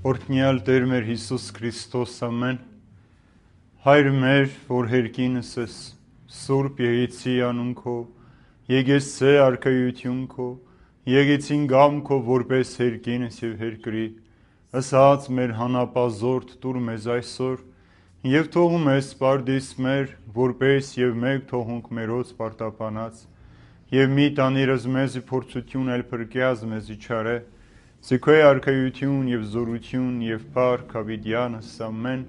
Օրհնյալ Տեր մեր Հիսուս Քրիստոս ամեն, Հայր մեր, որ հերկինս ես, Սուրբ Եղեցի անուն քո, եկեցե արքայություն քո, եկեցին գամ քո որպես հերկինս եւ հերկրի, ասած մեր հանապազորդ տուր մեզ այսօր, եւ թողում ես պարդիս մեր, որպես եւ մեկ թողունք մերոց պարտապանած, եւ մի տանիրս մեզի փորձություն էլ փրկյազ մեզի չարե, Զիքոյ արքայություն եւ զորություն եւ փառք ավիդյանս ամեն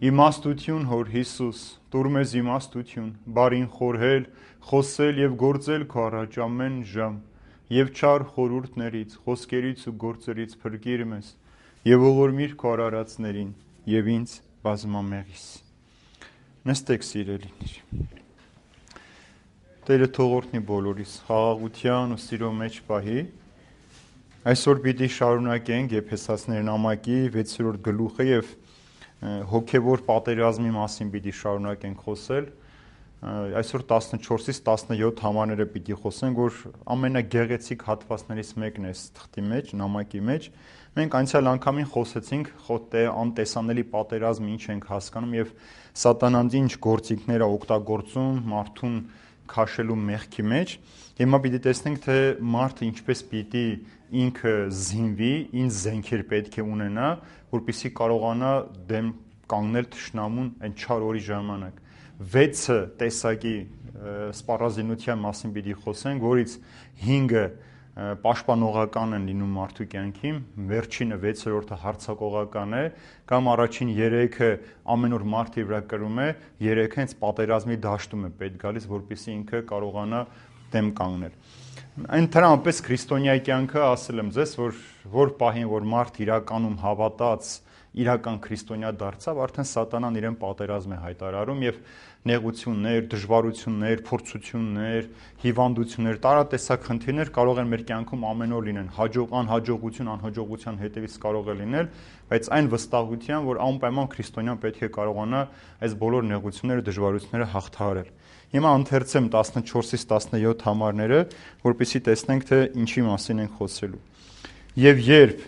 իմաստություն հոր Հիսուս տուր մեզ իմաստություն բարին խորհել խոսել եւ գործել քո առաջ ամեն ժամ եւ չար խորհուրդներից խոսքերից ու գործերից փրկիր մեզ եւ ողորմիր քո արարածներին եւ ինձ բազմամեղիս նստեք սիրելիներ Տերը թողորտնի բոլորիս խաղաղության ու սիրո մեջ պահի Այսօր պիտի շարունակենք Եփեսացիներ նամակի 6-րդ գլուխը եւ հոգեվոր պատերազմի մասին պիտի շարունակենք խոսել։ Այսօր 14-ից 17 համարները պիտի խոսենք, որ ամենագեղեցիկ հատվածներից մեկն է թղթի մեջ, նամակի մեջ։ Մենք անցյալ անգամին խոսեցինք անտեսանելի պատերազմը ինչ ենք հասկանում եւ սատանան ինչ գործիքներ է օգտագործում մարդուն քաշելու մեղքի մեջ։ Հիմա պիտի տեսնենք, թե մարդը ինչպես պիտի ինքը զինվի, ինչ զենքեր պետք է ունենա, որպեսզի կարողանա դեմ կանգնել թշնամուն այն չար օրի ժամանակ։ 6 տեսակի սպառազինության մասին պիտի խոսենք, որից 5-ը պաշտպանողական են լինում մարդու կյանքին, վերջինը 6-րդը հարձակողական է, կամ առաջին 3-ը ամեն օր մարդի վրա կրում է, 3-ը հենց պատերազմի դաշտում է պետք գալիս, որպեսզի ինքը կարողանա դեմ կանգնել։ Այն դրանպես քրիստոնյայի կյանքը ասել եմ ձեզ, որ պահին որ մարդ իրականում հավատաց, իրական քրիստոնյա դարձավ, արդեն սատանան իրեն պատերազմ է հայտարարում եւ նեղություններ, դժվարություններ, փորձություններ, հիվանդություններ, տարատեսակ խնդիրներ կարող են մեր կյանքում ամեն օր լինեն, անհաջողություն, անհաջողության հետևից կարող է լինել, բայց այն վստահության, որ անպայման քրիստոնյան պետք է կարողանա այս բոլոր նեղությունները, դժվարությունները հաղթահարել։ Հիմա ընթերցեմ 14-ից 17 համարները, որպեսզի տեսնենք, թե ինչի մասին ենք խոսելու։ Եվ երբ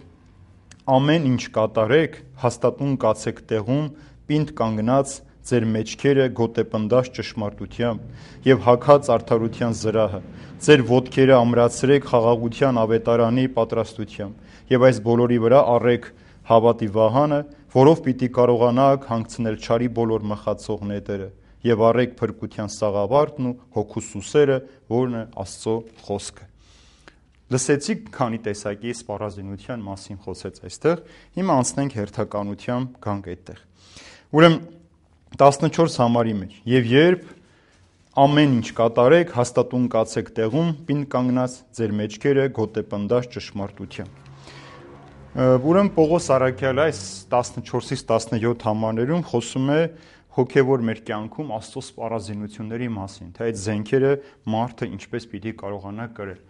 ամեն ինչ կատարեք, հաստատուն կացեք տեղում, պինդ կանգնած ձեր մեջքերը գոտեպնդած ճշմարտությամբ եւ հագած արդարության զրահը, ձեր ոտքերը ամրացրեք խաղաղության ավետարանի պատրաստությամբ եւ այս բոլորի վրա առեք հավատի վահանը, որով պիտի կարողանաք հանգցնել չարի բոլոր մխացող նետերը եւ առեք փրկության սաղավարտն ու հոգու սուսերը, որն է Աստծո խոսքը։ Լսեցիք քանի տեսակի սպառազինության մասին խոսեց այստեղ, հիմա անցնենք հերթականությամբ գանք այդտեղ։ Ուրեմն 14 համարի մեջ եւ երբ ամեն ինչ կատարեք, հաստատուն կացեք տեղում, պինդ կանգնած ձեր մեջքերը գոտեպնդած ճշմարտությամբ։ Ուրեմն Պողոս Արաքյալը այս 14-ից 17 համարներում խոսում է հոգևոր մեր կյանքում Աստծո սպառազինությունների մասին, թե այդ զենքերը մարդը ինչպես պիտի կարողանա կրել։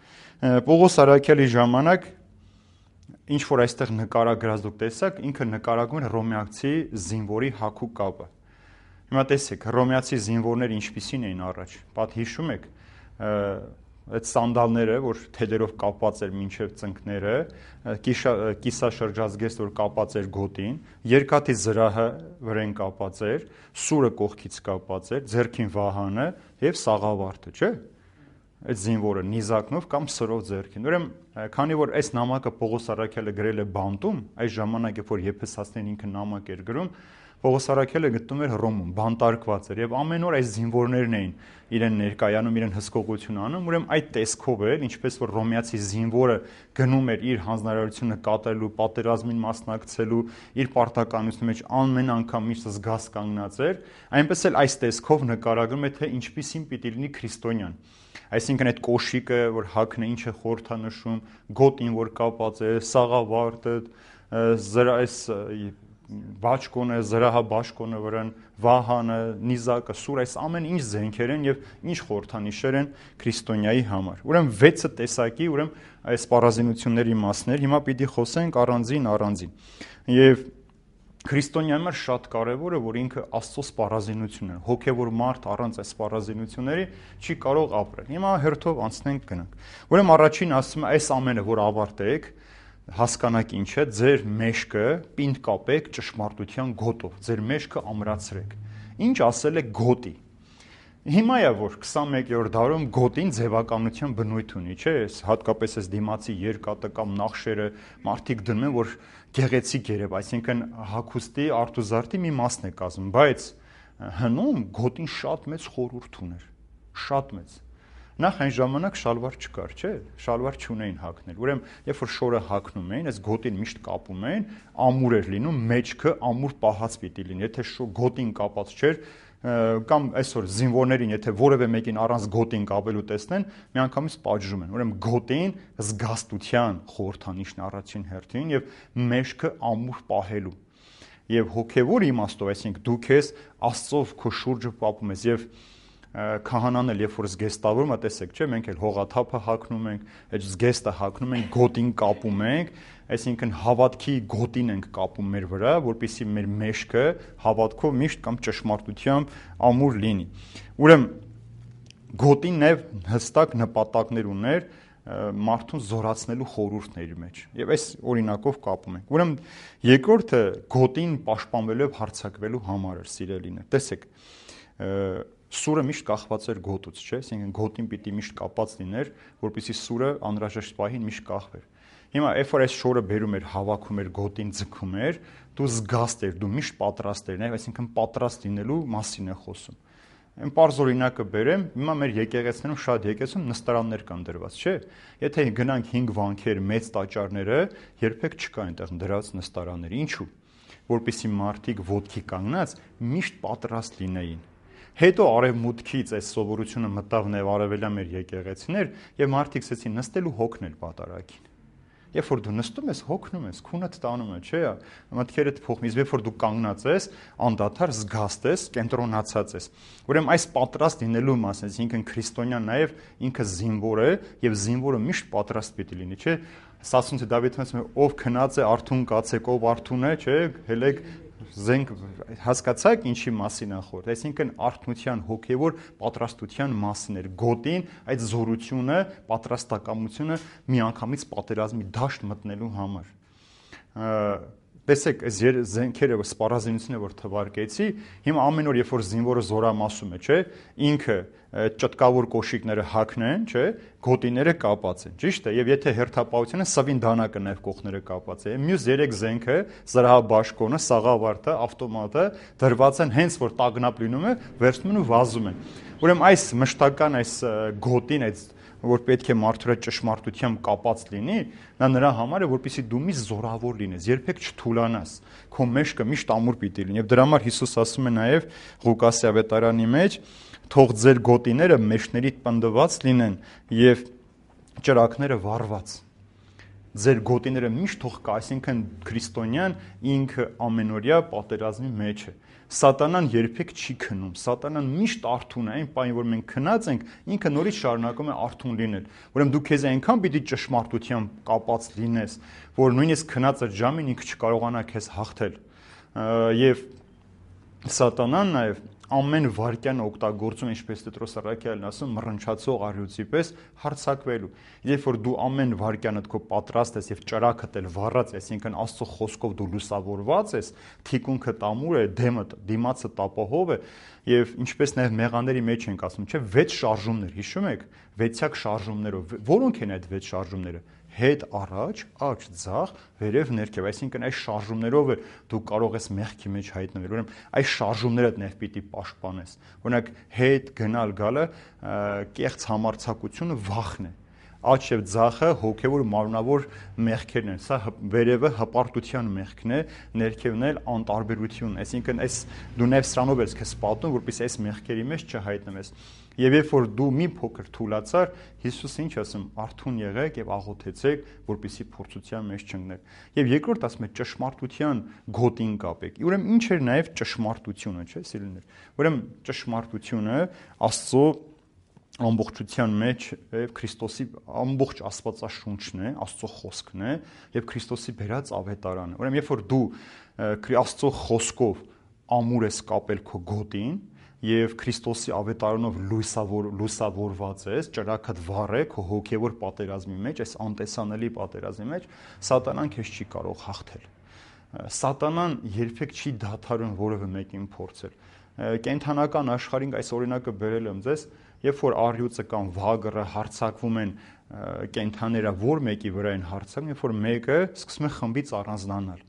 Պողոս Արաքյալի ժամանակ ինչ որ այստեղ նկարագրած դուք տեսաք, ինքը նկարագրում է հռոմեացի զինվորի հագու կապը։ Հիմա տեսեք, հռոմեացի զինվորները ինչպիսին էին առաջ։ Պատ հիշում եք, այդ սանդալները, որ թելերով կապված էր մինչև ծնկները, կիսաշրջած գեստ, որ կապած էր գոտին, երկաթի զրահը վրան կապած էր, սուրը կողքից կապած էր, ձեռքին վահանը եւ սաղավարտը, չէ՞։ Այդ զինվորը նիզակնով կամ սրով ձեռքին։ Ուրեմն, քանի որ այս նամակը Պողոս Արաքյալը գրել է բանտում, այս ժամանակ երբ որ Եփեսացիներին ինքը նամակ էր գրում, Պողոս Արաքյալը գտնում էր Հռոմում, բանտարկված էր եւ ամեն օր այս զինվորներն էին իրեն ներկայանում, իրեն հսկողություն անում, ուրեմն այդ տեսքով էր, ինչպես որ ռոմեացի զինվորը գնում էր իր հանձնարարությունը կատարելու, պատերազմին մասնակցելու, իր պարտականության մեջ ամեն անգամ միշտ զգաս կանգնած էր, այնպես էլ այս տեսքով նկարագրում է, թե ինչպիսին պիտի լինի քրիստոնյան։ Այսինքն այդ կոշիկը, որ հագն է, ինչ է խորհրդանշում, գոտին, որ կապած է, սաղավարտը, բաճկոնը, զրահաբաճկոնը վրան, վահանը, նիզակը, սուր, այս ամեն ինչ զենքեր են եւ ինչ խորհրդանիշեր են քրիստոնյայի համար։ Ուրեմն 6 տեսակի, այս սպառազինությունների մասներ, հիմա պիտի խոսենք առանձին։ Եվ քրիստոնյայի համար շատ կարևոր է, որ ինքը Աստծո սպառազինությունն է։ Հոգևոր մարդ առանց այս սպառազինությունների չի կարող ապրել։ Հիմա հերթով անցնենք գնանք։ Ուրեմն առաջին ասում է, այս ամենը որ ավարտեք, հասկանաք ինչ է, ձեր մեջքը պինդ կապեք ճշմարտության գոտով, ձեր մեջքը ամրացրեք։ Ինչ ասել է գոտի։ Հիմա է որ 21-րդ դարում գոտին ձևականության բնույթ ունի, չէ՞, հատկապես այս դիմացի երկաթը կամ նախշերը մարդիկ դնում են, որ գեղեցիկ երև, այսինքն հագուստի արտուզարտի մի մասն է կազմում, բայց հնում գոտին շատ մեծ խորհուրդ ուներ, շատ մեծ։ Նախ այն ժամանակ շալվար չկար, չէ՞, շալվար չունեին հագնել։ Ուրեմն, երբ որ շորը հագնում էին, այս գոտին միշտ կապում էին, ամուր էր լինում, մեջքը ամուր պահած պիտի լինի։ Եթե գոտին կապած չէր, կամ այսօր զինվորներին, եթե որևէ մեկին առանց գոտին կապելու տեսնեն, միանգամից պատժում են։ Ուրեմն գոտին զգաստության խորհրդանիշն առաջին հերթին եւ մեջքը ամուր պահելու։ Եվ հոգեվոր իմաստով, այսինքն դու քեզ Աստծով քո շուրջը պապում ես եւ քահանան էլ երբ որ զգեստավորում է, տեսեք, չէ՞, մենք էլ հողաթափը հագնում ենք, այդ զգեստը հագնում ենք, գոտին կապում ենք, այսինքն հավատքի գոտին ենք կապում մեր վրա, որպեսզի մեր մեջքը հավատքով միշտ կամ ճշմարտությամբ ամուր լինի։ Ուրեմն գոտին նաև հստակ նպատակներ ուներ մարդուն զորացնելու խորհուրդների մեջ։ Եվ այս օրինակով կապում ենք։ Ուրեմն երկրորդը գոտին պաշտպանվելու եւ հարձակվելու համար էր, սիրելիներ։ Տեսեք, սուրը միշտ կախված էր գոտուց, չէ՞, այսինքն գոտին պիտի միշտ կապած լիներ, որպեսզի սուրը անհրաժեշտ պահին միշտ կախվեր։ Հիմա երբ որ այս շորը բերում էր, հավաքում էր, գոտին ձգում էր, դու զգաստ էր, դու միշտ պատրաստ էր, այսինքն պատրաստ լինելու մասին է խոսում։ Այն պարզ օրինակը բերեմ, հիմա մեր եկեղեցիներում շատ եկեղեցում նստարաններ կան դրված, չէ՞։ Եթե գնանք 5 վանքեր, մեծ տաճարները, երբեք չկա այնտեղ դրված նստարաններ։ Ինչու՞։ Որպեսզի մարդիկ ոտքի կանգնած միշտ պատրաստ լինեին։ Հետո արևմուտքից այս սովորությունը մտավ նաև արևելյան մեր եկեղեցիներ եւ մարդիկ սկսեցին նստելու հոգնել պատարագին։ Երբ որ դու նստում ես, հոգնում ես, քունդ տանում է, չէ՞, մտքերդ փոխում, իսկ երբ որ դու կանգնած ես, անդադար զգաստ ես, կենտրոնացած ես։ Ուրեմն այս պատրաստ լինելու մասն, այսինքն քրիստոնյան նաև ինքը զինվոր է եւ զինվորը միշտ պատրաստ պիտի լինի, չէ՞։ Սասունցի Դավիթը ասում է, ով քնած է արթուն կացեք, ով արթուն է, չէ՞, հելեք զենք, հասկացաք ինչի մասին է խոսքը, այսինքն արթնության հոգևոր պատրաստության մասին էր գոտին, այդ զորությունը, պատրաստակամությունը միանգամից պատերազմի դաշտ մտնելու համար։ Տեսեք, այս զենքերը սպառազինությունը որ թվարկեցի, հիմա ամեն օր երբ որ զինվորը զորամասում է, չէ, ինքը ճտկավոր կոշիկները հագնեն, չէ, գոտիները կապած են, ճիշտ է, եւ եթե հերթապահությունը սվին դանակը նաև կողները կապած է։ Մյուս 3 զենքը, զրահաբաշխոնը, սաղավարտը, ավտոմատը դրված են հենց որ տագնապ լինում է, վերցնում են ու վազում են։ Ուրեմն այս մշտական այս գոտին, այս որ պետք է մարդու հետ ճշմարտությամբ կապած լինի, նա նրա համար է, որպեսզի դու միշտ զորավոր լինես, երբեք չթուլանաս, քո մեջքը միշտ ամուր պիտի լինի։ Եվ դրա համար Հիսուս ասում է նաև Ղուկասի ավետարանի մեջ, թող ձեր գոտիները մեջներիդ պնդված լինեն եւ ճրակները վառված։ Ձեր գոտիները միշտ թող կա, այսինքն քրիստոնյան ինքը ամենօրյա պատերազմի մեջ է։ Սատանան երբեք չի քնում, սատանան միշտ արթուն է, այն պահին որ մենք քնած ենք, ինքը նորից շարունակում է արթուն լինել։ Ուրեմն դու քեզ այնքան պիտի ճշմարտությամբ կապած լինես, որ նույնիսկ քնած ժամին ինքը չկարողանա քեզ հաղթել։ Եվ սատանան նաև ամեն վարքյան օգտագործում, ինչպես Պետրոս Առաքյալն ասում, մռնչացող առյուծի պես հարձակվելու։ Երբ որ դու ամեն վարքյանդ քո պատրաստ ես եւ ճրակդ էլ վառած, այսինքն Աստծո խոսքով դու լուսավորված ես, թիկունքդ ամուր է, դիմացը տապահով է, եւ ինչպես նաեւ մեղաների մեջ ենք ասում, չէ, 6 շարժումներ, հիշում եք, 6-յակ շարժումներով։ Որոնք են այդ 6 շարժումները։ Հետ առաջ, աջ ձախ, վերև ներքև, այսինքն այս շարժումներով դու կարող ես մեղքի մեջ հայտնվել։ Ուրեմն այս շարժումները նաև պիտի պաշտպանես։ Օրինակ հետ գնալ գալը կեղծ համարձակությունը վախն է։ Աջ եւ ձախը հոգեվոր մարմնավոր մեղքերն են։ Սա վերևը հպարտության մեղքն է, ներքևն էլ անտարբերություն, այսինքն այս դու նաև սրանով ես քեզ պատում, որպեսզի այս մեղքերի մեջ չհայտնվես։ Եվ երբ որ դու մի փոքր թուլացար, Հիսուսը ինչ ասում, արթուն եղեք եւ աղոթեցեք, որպեսզի փորձության մեջ չընկնեք։ Եվ երկրորդ ասում է ճշմարտության գոտին կապեք։ Ուրեմն ինչ էր նաեւ ճշմարտությունը, չէ՞, սիրելիներ։ Ուրեմն ճշմարտությունը Աստծո ամբողջության մեջ եւ Քրիստոսի ամբողջ Աստվածաշունչն է, Աստծո խոսքն է եւ Քրիստոսի բերած ավետարանը։ Ուրեմն երբ որ դու Աստծո խոսքով ամուր ես կապել քո գոտին, եւ Քրիստոսի ավետարանով լուսավորված ես, ճրագդ վառ է քո հոգեվոր պատերազմի մեջ, այս անտեսանելի պատերազմի մեջ, սատանան քեզ չի կարող հաղթել։ Սատանան երբեք չի դադարում որևէ մեկին փորձել։ Կենթանական աշխարհին այս օրինակը բերել եմ ձեզ, երբ որ առյուծը կամ վագրը հարձակվում են կենթաները, որ մեկի վրա են հարձակվում, երբ որ մեկը սկսում է խմբից առանձնանալ։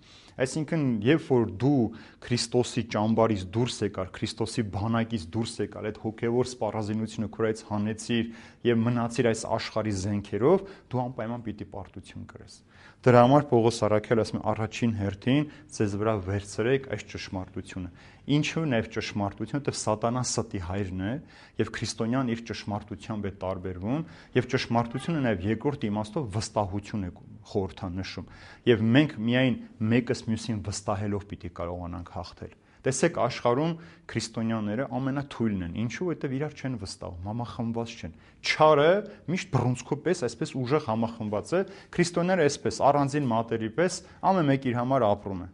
Այսինքն, երբ որ դու Քրիստոսի ճամբարից դուրս եկար, Քրիստոսի բանակից դուրս եկար, այդ հոգևոր սպառազինությունը քորայից հանեցիր եւ մնացիր այս աշխարհի զենքերով, դու անպայման պիտի պարտություն կրես։ Դրա համար Պողոս առաքյալը ասում է առաջին հերթին ձեզ վրա վերցրեք այս ճշմարտությունը։ Ինչու նաև ճշմարտությունը, որտեղ սատանան ստի հայրն է եւ քրիստոնյան իր ճշմարտությամբ է տարբերվում եւ ճշմարտությունը նաև երկրորդ իմաստով վստահություն է խորհրդանշում եւ մենք միայն մեկս մյուսին վստահելով պիտի կարողանանք հաղթել։ Տեսեք աշխարհում քրիստոնյաները ամենաթույլն են, ինչու, որտեղ իրար չեն վստահում, համախմբված չեն։ Չարը միշտ բռունցքու պես այսպես ուժեղ համախմբված է, քրիստոնյաները այսպես առանձին մատերի պես ամեն մեկ իր համար ապրում է։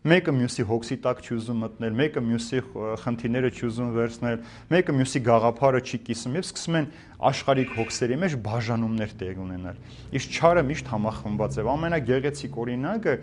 Մեկը մյուսի հոգսի տակ չի ուզում մտնել, մեկը մյուսի խնդիրները չի ուզում վերցնել, մեկը մյուսի գաղափարը չի կիսում եւ սկսում են աշխարհիկ հոգսերի մեջ բաժանումներ տեղ ունենալ։ Իսկ չարը միշտ համախմբված է։ Ամենագեղեցիկ օրինակը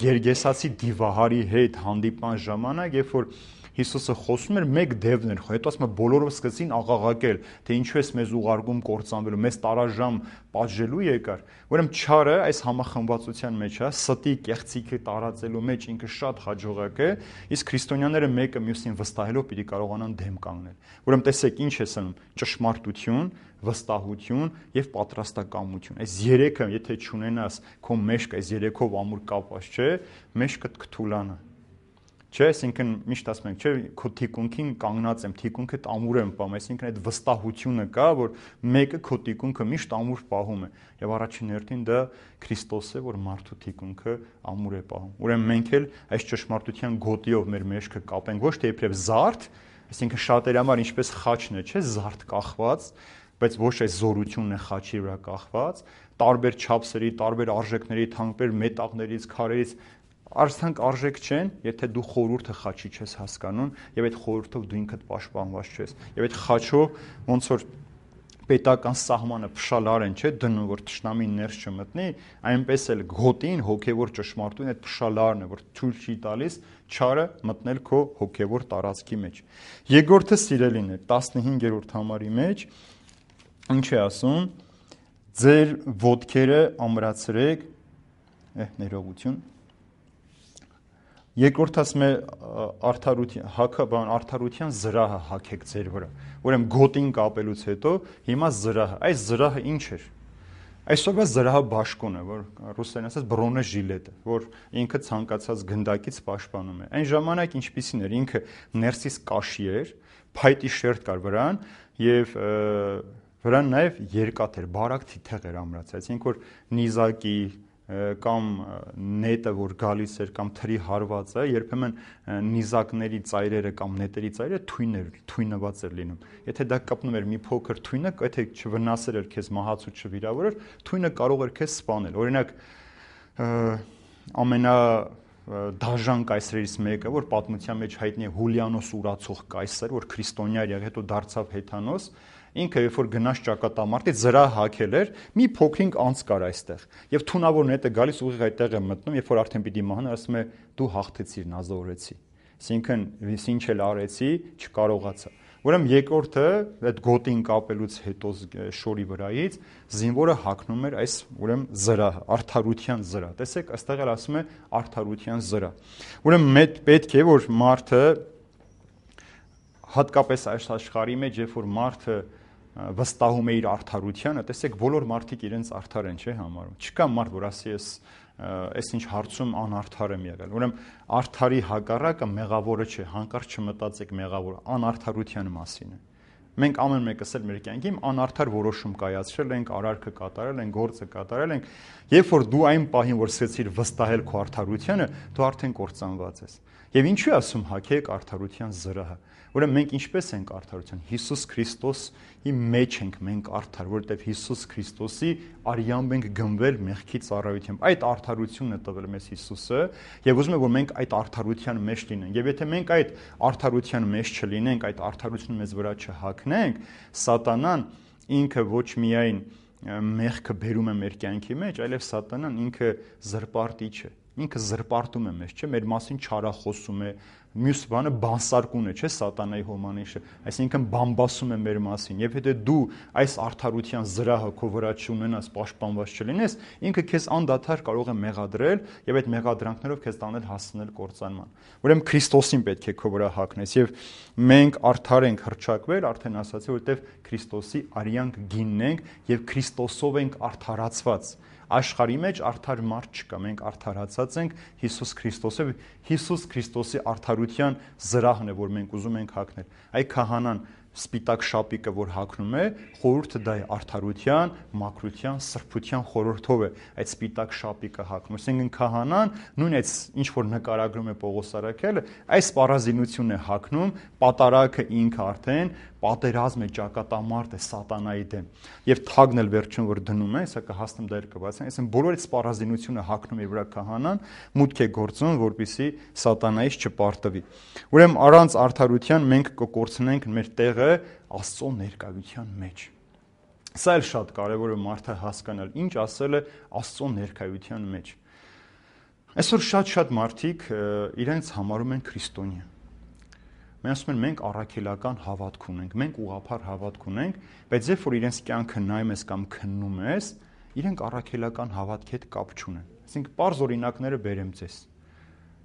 Գերգեսացի դիվահարի հետ հանդիպման ժամանակ, երբ որ Հիսուսը խոսում էր, մեկ դևն էր, հետո ասում է բոլորով սկսեցին աղաղակել, թե ինչու ես մեզ ուղարկում կործանվելու, մեզ տարաժամ պատժելու եկար։ Ուրեմն չարը այս համախմբվածության մեջ է, ստի կեղծիքը տարածելու մեջ ինքը շատ հաջողակ է, իսկ քրիստոնյաները մեկը մյուսին վստահելով պիտի կարողանան դեմ կանգնել։ Ուրեմն տեսեք ինչ է ասում, ճշմարտություն, վստահություն եւ պատրաստակամություն։ Այս երեքը, եթե չունենաս, քո մեջք այս երեքով ամուր կապված չէ, մեջքդ կթուլանա։ Չէ, այսինքն միշտ ասում ենք, չէ, քո թիկունքին կանգնած եմ, թիկունքդ ամուր եմ պահում, այսինքն այդ վստահությունը կա, որ մեկը քո թիկունքը միշտ ամուր պահում է, եւ առաջին հերթին դա Քրիստոս է, որ մարդու թիկունքը ամուր է պահում։ Ուրեմն մենք էլ այս ճշմարտության գոտիով մեր մեջքը կապենք, ոչ թե իբրև զարդ, այսինքն շատերի համար ինչպես խաչն է, չէ, զարդ կախված, բայց ոչ այս զորությունն է խաչի վրա կախված, տարբեր չափսերի, տարբեր արժեքների, թանկեր մետաղներից, քարերից Արցանք արժեք չեն, եթե դու խորհուրդը խաչի չես հասկանում եւ այդ խորհուրդով դու ինքդ պաշտպանված չես։ Եվ այդ խաչով ոնց որ պետական սահմանը փշալար են, չէ, դնում որ թշնամին ներս չմտնի, այնպես էլ գոտին հոգեվոր ճշմարտություն այդ փշալարն է, որ ցույց չի տալիս չարը մտնել քո հոգեվոր տարածքի մեջ։ Երկրորդը սիրելին է 15-րդ համարի մեջ ինչ է ասում. ձեր ոտքերը ամրացրեք, ներողություն Երկրորդ ասում է արդարության զրահը հագեք ձեր վրա։ Ուրեմն գոտին կապելուց հետո հիմա զրահը, այս զրահը ինչ էր։ Այսօրվա զրահը բաշխուն է, որ ռուսերեն ասած բրոնեժիլետը, որ ինքը ցանկացած գնդակից պաշտպանում է։ Այն ժամանակ ինչպիսին էր, ինքը ներսից կաշի էր, փայտի շերտ կար վրան եւ վրան նաեւ երկաթ էր, բարակ թիթեղ էր ամրացած, այսինքն որ նիզակի կամ նետը որ գալիս էր կամ թրի հարվածը երբեմն նիզակների ծայրերը կամ նետերի ծայրերը թույնված էր լինում եթե դա կապնում էր մի փոքր թույնը եթե չվնասեր էր քեզ մահացու չվիրավորեր թույնը կարող էր քեզ սպանել օրինակ ամենա դաժան կայսրերից մեկը որ պատմության մեջ հայտնի է Հուլիանոս ուրացող կայսր որ քրիստոնյա էր եղել հետո դարձավ հեթանոս Ինքը երբ որ գնաց ճակատամարտից զրահ հագել էր, մի փոքրինչ անց կար այստեղ։ Եվ թունավոր նետը գալիս ուղիղ այդտեղ է մտնում, երբ որ արդեն պիտի մահանա, ասում է՝ դու հաղթեցիր, նազորեցի։ Այսինքն, ինչ էլ արեցի, չկարողացա։ Ուրեմն երկրորդը այդ գոտին կապելուց հետո շորի վրայից զինվորը հագնում էր այս ուրեմն զրահը, արդարության զրահ։ Տեսեք, այստեղ էլ ասում է արդարության զրահ։ Ուրեմն պետք է որ մարդը հատկապես այս աշխարհի մեջ, երբ որ մարդը վստահում է իր արդարությանը, տեսեք, բոլոր մարդիկ իրենց արդար են, չէ՞ համարում։ Չկա մարդ, որ ասի այս ինչ հարցում անարդար եմ եղել։ Ուրեմն արդարի հակառակը մեղավորը չէ, հանկարծ չմտածեք մեղավոր, անարդարության մասին է։ Մենք ամեն մեկս էլ մեր կյանքում անարդար որոշում կայացրել ենք, արարքը կատարել ենք, գործը կատարել ենք, երբ որ դու այն պահին, որ սկսեցիր վստահել քո արդարությանը, դու արդեն կործանված ես։ Եվ ինչու է ասում հագեք արդարության զրահը։ Ուրեմն մենք ինչպես ենք արդարության։ Հիսուս Քրիստոսի մեջ ենք մենք արդար, որովհետև Հիսուս Քրիստոսի արյամբ ենք գնվել մեղքի ծառայությամբ։ Այդ արդարությունն է տվել մեզ Հիսուսը, եւ ուզում եմ որ մենք այդ արդարության մեջ լինենք։ Եվ եթե մենք այդ արդարության մեջ չլինենք, այդ արդարությունը մեզ վրա չհագնենք, սատանան ինքը ոչ միայն մեղքը բերում է մեր կյանքի մեջ, այլև սատանան ինքը զրպարտիչ է։ Ինքը զրպարտում է մեզ, չէ՞, մեր մասին չարախոսում է, մյուս բանը բանսարկուն է, չէ՞, սատանայի հոմանիշը, այսինքն բամբասում է մեր մասին։ Եվ եթե դու այս արդարության զրահը քո վրա չունենաս, պաշտպանված չլինես, ինքը քեզ անդադար կարող է մեղադրել եւ այդ մեղադրանքներով քեզ տանել հասցնել կործանման։ Ուրեմն Քրիստոսին պետք է քո վրա հագնես եւ մենք արդար ենք հռչակվել, արդեն ասացի, որովհետեւ Քրիստոսի արյանք գինն ենք եւ Քրիստոսով ենք արդարացված։ Աշխարհի մեջ արդար մարդ չկա, մենք արդարացած ենք Հիսուս Քրիստոսով, Հիսուս Քրիստոսի արդարության զրահն է, որ մենք ուզում ենք հագնել։ Այ քահանան սպիտակ շապիկը, որ հագնում է, խորհուրդը դա է արդարության, մաքրության, սրբության խորհրդով է այդ սպիտակ շապիկը հագնում։ Այսինքն քահանան նույն այդ ինչ որ նկարագրում է Պողոս Արաքելը, այս պարազինությունն է հագնում, պատարագը ինքը արդեն պատերազմ է, ճակատամարտ է սատանայի դեմ։ Եվ թագն էլ վերջում որ դնում է, սա կհասնեմ դեր կբացեն, այսինքն բոլոր այդ պարազինությունը հագնում է վրա քահանան, մուտք է գործում, որպեսզի սատանայից չպարտվի։ Ուրեմն առանց արդարության մենք կկորցնենք մեր տեղը Աստծո ներկայության մեջ։ Սա էլ շատ կարևոր է մարդը հասկանալ, ինչ ասել է Աստծո ներկայության մեջ։ Այսօր շատ մարդիկ իրենց համարում են քրիստոնյա։ Մենք ասում ենք մենք առաքելական հավատք ունենք, մենք ուղղափառ հավատք ունենք, բայց երբ որ իրենց կյանքը նայում ես կամ քննում ես, իրենք առաքելական հավատքի հետ կապ չունեն։ Այսինքն པարզ օրինակները բերեմ ձեզ։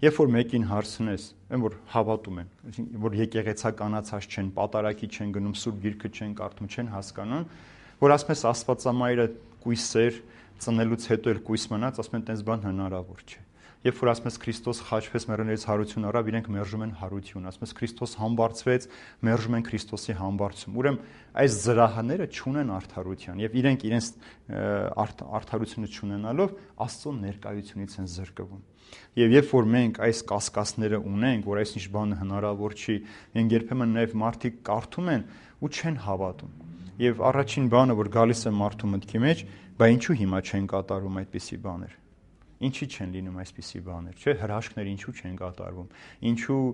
Երբ որ մեկին հարցնես, այն որ հավատում են, այսինքն որ եկեղեցականացած չեն, պատարակի չեն գնում, սուրբ գիրքը չեն կարդում, չեն հասկանում, որ ասում ես Աստվածամայրը կույսեր ծնելուց հետո էլ կույս մնաց, ասում են տենց բան հնարավոր չէ։ Երբ որ ասում ես Քրիստոս խաչվեց մեռելներից հարություն առավ, իրենք մերժում են հարություն, ասում ես Քրիստոս համբարձվեց, մերժում են Քրիստոսի համբարձում։ Ուրեմն այս զրահները չունեն արդարության եւ իրենց արդարությունը չունենալով Աստծո ներկայությունից են զրկվում։ Եվ երբ որ մենք այս կասկածները ունենք, որ այսինչ բանը հնարավոր չի, մենք երբեմն նաեւ մարդիկ կարդում են ու չեն հավատում։ Եվ առաջին բանը, որ գալիս է մարդու մտքի մեջ, բա ինչու հիմա չեն կատարում այդպիսի բաներ։ Ինչի չեն լինում այսպիսի բաներ, չէ՞, հրաշքներ ինչու չեն կատարվում, ինչու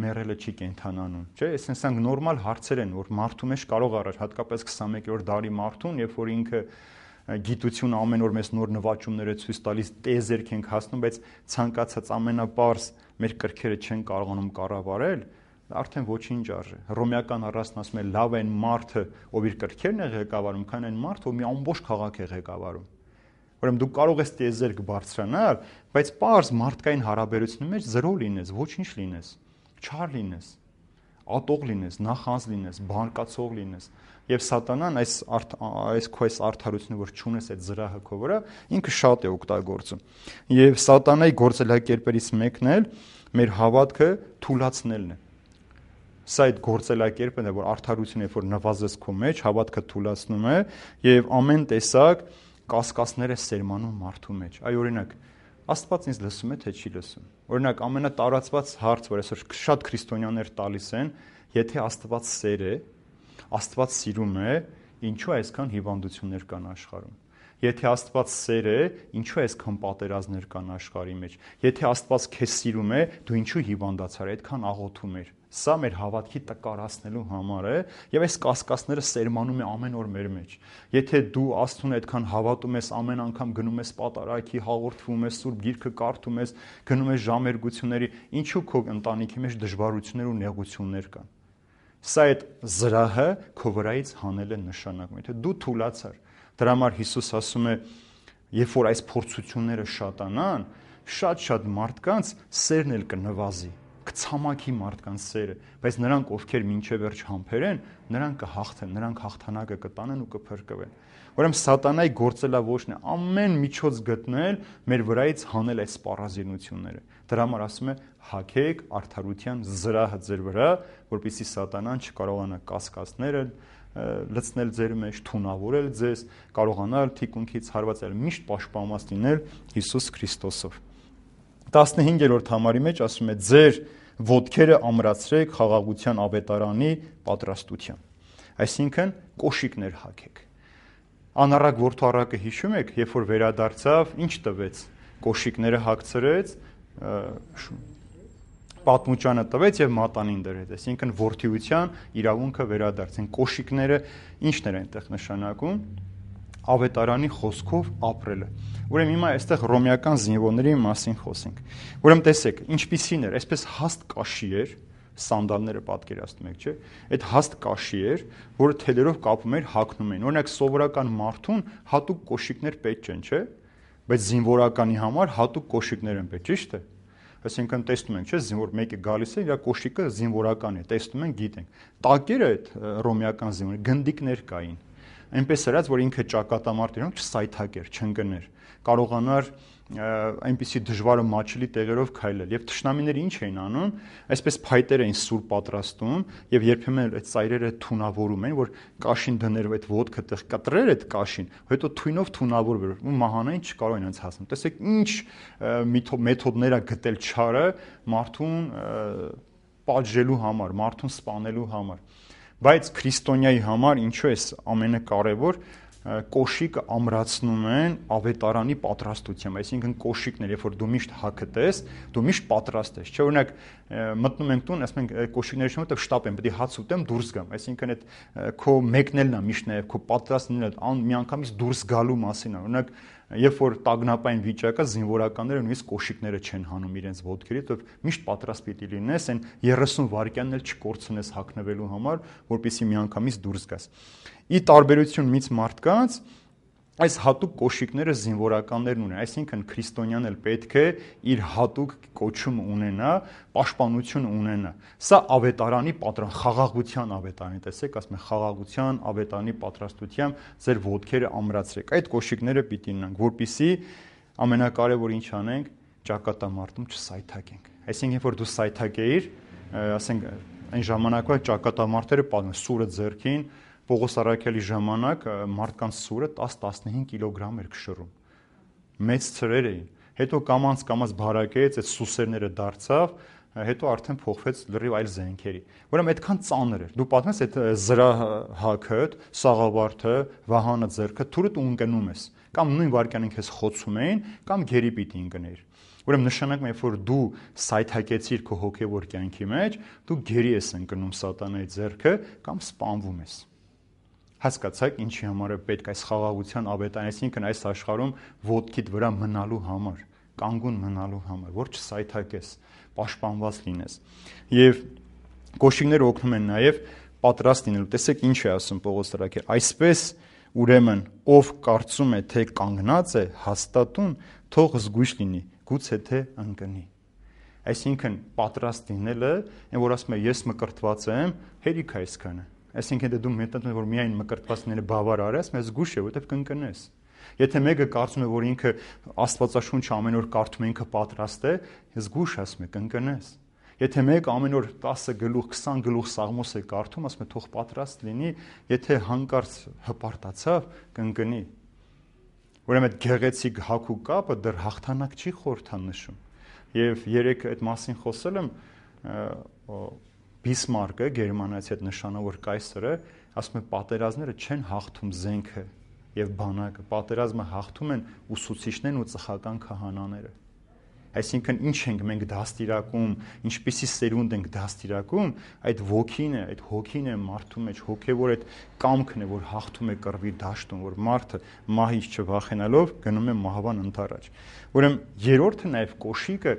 մեռելը չի կենդանանում, չէ՞, այսինքն նորմալ հարցեր են, որ մարդու մեջ կարող առաջ, հատկապես 21-րդ դարի մարդուն, երբ որ ինքը գիտությունը ամեն օր մեզ նոր նվաճումներ է ցույց տալիս, տեզերք ենք հասնում, բայց ցանկացած ամենապարզ մեր կրքերը չեն կարողանում կառավարել, արդեն ոչինչ արժե։ Հռոմեական առասպելն ասում է լավ այն մարդը, ով իր կրքերն է ղեկավարում, քան այն մարդը, ով մի ամբողջ քաղաք է ղեկավարում։ Ուրեմն դու կարող ես տեզերք բարձրանալ, բայց պարզ մարդկային հարաբերությունների մեջ զրո լինես, ոչինչ լինես, չար լինես, ատող լինես, նախանձ լինես, բարկացող լինես։ Եվ սատանան այս արդարությունը, որ չունես այդ զրահը քո վրա, ինքը շատ է օգտագործում։ Եվ սատանայի գործելակերպերից մեկն էլ մեր հավատքը թուլացնելն է։ Սա այդ գործելակերպն է, որ արդարությունը, երբ որ նվազես քո մեջ, հավատքը թուլացնում է եւ ամեն տեսակ կասկածներ է սերմանում մարդու մեջ։ Այ օրինակ, Աստված ինձ լսում է, թե չի լսում։ Օրինակ, ամենատարածված հարց, որ այսօր շատ քրիստոնյաներ տալիս են, եթե Աստված սեր է, Աստված սիրում է, ինչու այսքան հիվանդություններ կան աշխարհում։ Եթե Աստված սեր է, ինչու այսքան պատերազմներ կան աշխարհի մեջ։ Եթե Աստված քեզ սիրում է, դու ինչու հիվանդացար, այդքան աղոթում ես։ Սա մեր հավատքի տկարացնելու համար է, եւ այս կասկածները սերմանում է ամեն օր մեր մեջ։ Եթե դու Աստծուն այդքան հավատում ես, ամեն անգամ գնում ես պատարագի, հաղորդվում ես, սուրբ գիրքը կարդում ես, գնում ես ժամերգությունների, ինչու քո ընտանիքի մեջ դժվարություններ ու նեղություններ կան։ Սա այդ զրահը քո վրայից հանել է նշանակում։ Եթե դու թուլացար, դրա համար Հիսուս ասում է, երբ որ այս փորձությունները շատանան, շատ մարդկանց սերն էլ կնվազի, կցամաքի մարդկանց սերը, բայց նրանք, ովքեր մինչև վերջ համբեր են, նրանք կհաղթեն, նրանք հաղթանակը կտանեն ու կփրկվեն։ Ուրեմն սատանայի գործելավոճն է ամեն միջոց գտնել մեր վրայից հանել այս սպառազինությունները։ Դրա համար ասում է հագեք արդարության զրահը ձեր վրա, որպեսզի սատանան չկարողանա կասկածները լցնել ձեր մեջ, թունավորել ձեզ, կարողանալ թիկունքից հարվածել, միշտ պաշտպանված լինել Հիսուս Քրիստոսով։ 15-րդ համարի մեջ ասում է ձեր ոտքերը ամրացրեք խաղաղության ավետարանի պատրաստության։ Այսինքն կոշիկներ հագեք։ Անառակ որդու հիշում եք, երբ որ վերադարձավ, ինչ տվեց, կոշիկները հագցրեց, պատմուճանը տվեց եւ մատանին դրեց, այսինքն որդիության իրավունքը վերադարձին։ Կոշիկները ի՞նչն էր այնտեղ նշանակում, ավետարանի խոսքով ապրելը։ Ուրեմն հիմա այստեղ ռոմեական զինվորների մասին խոսենք։ Ուրեմն տեսեք, ինչպիսին էր, այսպես հաստ կաշի էր, սանդալները պատկերացնում եք, չէ՞։ Այդ հաստ կաշի էր, որը թելերով կապում էր, հագնում էին։ Օրինակ սովորական մարդուն հատուկ կոշիկներ պետք չեն, չէ՞։ Բայց զինվորականի համար հատուկ կոշիկներ են պետք, ճիշտ է։ Այսինքն տեսնում ենք, չէ՞, զինվոր մեկը գալիս է, իր կոշիկը զինվորական է, տեսնում ենք, գիտենք։ Տակերը այդ ռոմեական զինվորի գնդիկներ կային։ Այնպես արած, որ ինքը ճակատամարտ իրոք չսայթակեր, չընկներ, կարողանար այնպիսի դժվարը մաչելի տեղերով քայլել։ Եվ թշնամիները ինչ էին անում, այսպես փայտեր էին սուր պատրաստում եւ երբեմն այդ ծայրերը թունավորում էին, որ կաշին դներով այդ ոտքը տեղ կտրեր այդ կաշին, հետո թույնով թունավորվեր ու մահանային չկարող են անց հասնել։ Տեսեք ինչ մեթոդներ է գտել չարը մարդուն պատժելու համար, մարդուն սպանելու համար։ Բայց քրիստոնյայի համար ինչու է ամենակարևոր կոշիկը ամրացնում են ավետարանի պատրաստությամբ, այսինքն կոշիկներ, երբ որ դու միշտ հագտես, դու միշտ պատրաստ ես, չէ՞, օրինակ մտնում ենք տուն, ասում ենք կոշիկների շնորհիվ շտապ եմ, պետք է հաց ուտեմ, դուրս գամ, այսինքն այդ քո մեկնելն է միշտ նաև քո պատրաստ լինելը, միանգամից դուրս գալու մասին է, օրինակ երբ որ տագնապային վիճակը զինվորականները նույնիսկ կոշիկները չեն հանում իրենց ոտքերի, դու միշտ պատրաստ պիտի լինես, այն 30 վայրկյանն էլ չկորցնես հագնվելու համար, որպեսզի միանգամից դուրս գաս։ Ի տարբերություն մից մարդկանց, այս հատուկ կոշիկները զինվորականներն ունեն, այսինքն քրիստոնյան էլ պետք է իր հատուկ կոչում ունենա, պաշտպանություն ունենա։ Սա ավետարանի խաղաղության ավետարանի, տեսեք, ասում է խաղաղության ավետարանի պատրաստությամբ ձեր ոտքերը ամրացրեք։ Այդ կոշիկները պիտի ունենանք, որպեսզի ամենակարևոր ինչ անենք, ճակատամարտում չսայթակենք։ Այսինքն, երբ որ դու սայթակեիր, ասենք այն ժամանակվա ճակատամարտերը պատմում սուրը ձեռքին, Պողոս Առաքյալի ժամանակ մարդկանց սուրը 10-15 կիլոգրամ էր քշռում։ Մեծ ցրեր էին։ Հետո կամած բարակեց, այդ սուսերները դարձավ, հետո արդեն փոխվեց լրիվ այլ զենքերի։ Ուրեմն այդքան ծանր էր։ Դու պատմես այդ զրահակը, սաղավարտը, վահանը ձեռքը, թուրդ ու ընկնում ես։ Կամ նույն վարքյանին քեզ խոցում էին, կամ գերի պիտի ընկներ։ Ուրեմն նշանակում է, որ դու սայթակեցիր քո հոգևոր կյանքի մեջ, դու գերի ես ընկնում սատանայի ձեռքը կամ սպանվում ես։ Հասկացաք, ինչի համար է պետք այս խաղաղության ավետարանը, այսինքն այս աշխարհում ոտքիդ վրա մնալու համար, կանգուն մնալու համար, որ չսայթակես, պաշտպանված լինես։ Եվ կոշիկները օգնում են նաև պատրաստ լինելու։ Տեսեք ինչ է ասում Պողոս Առաքյալը, այսպես ուրեմն ով կարծում է, թե կանգնած է հաստատուն, թող զգույշ լինի, գուցե թե ընկնի։ Այսինքն պատրաստ լինելը, այն որ ասում է ես մկրտված եմ, հերիք է այսքանը։ Այսինքն դու մտածում ես, որ միայն մկրտված լինելը բավարար է, ես զգույշ է, որովհետև կընկնես։ Եթե մեկը կարծում է, որ ինքը Աստվածաշունչը ամեն օր կարդում է, ինքը պատրաստ է, զգույշ ասում է, կընկնես։ Եթե մեկը ամեն օր 10 գլուխ, 20 գլուխ Սաղմոս է կարդում, ասում է, թող պատրաստ լինի, եթե հանկարծ հպարտացավ, կընկնի։ Ուրեմն այդ գեղեցիկ հագու կապը դեռ հաղթանակ չի խորհրդանշում։ Եվ երեք այդ մասին խոսել եմ, Բիսմարկը, գերմանացի այդ նշանավոր կայսրը, ասում է պատերազմները չեն հաղթում զենքը եւ բանակը, պատերազմը հաղթում են ուսուցիչներն ու ծխական քահանաները։ Այսինքն ինչ ենք մենք դաստիարակում, ինչպիսի սերունդ ենք դաստիարակում, այդ ոգին է, այդ հոգին է մարդու մեջ, հոգեվոր այդ կամքն է, որ հաղթում է կռվի դաշտում, որ մարդը մահից չվախենալով գնում է մահվան ընդառաջ։ Ուրեմն երրորդը նաև կոշիկը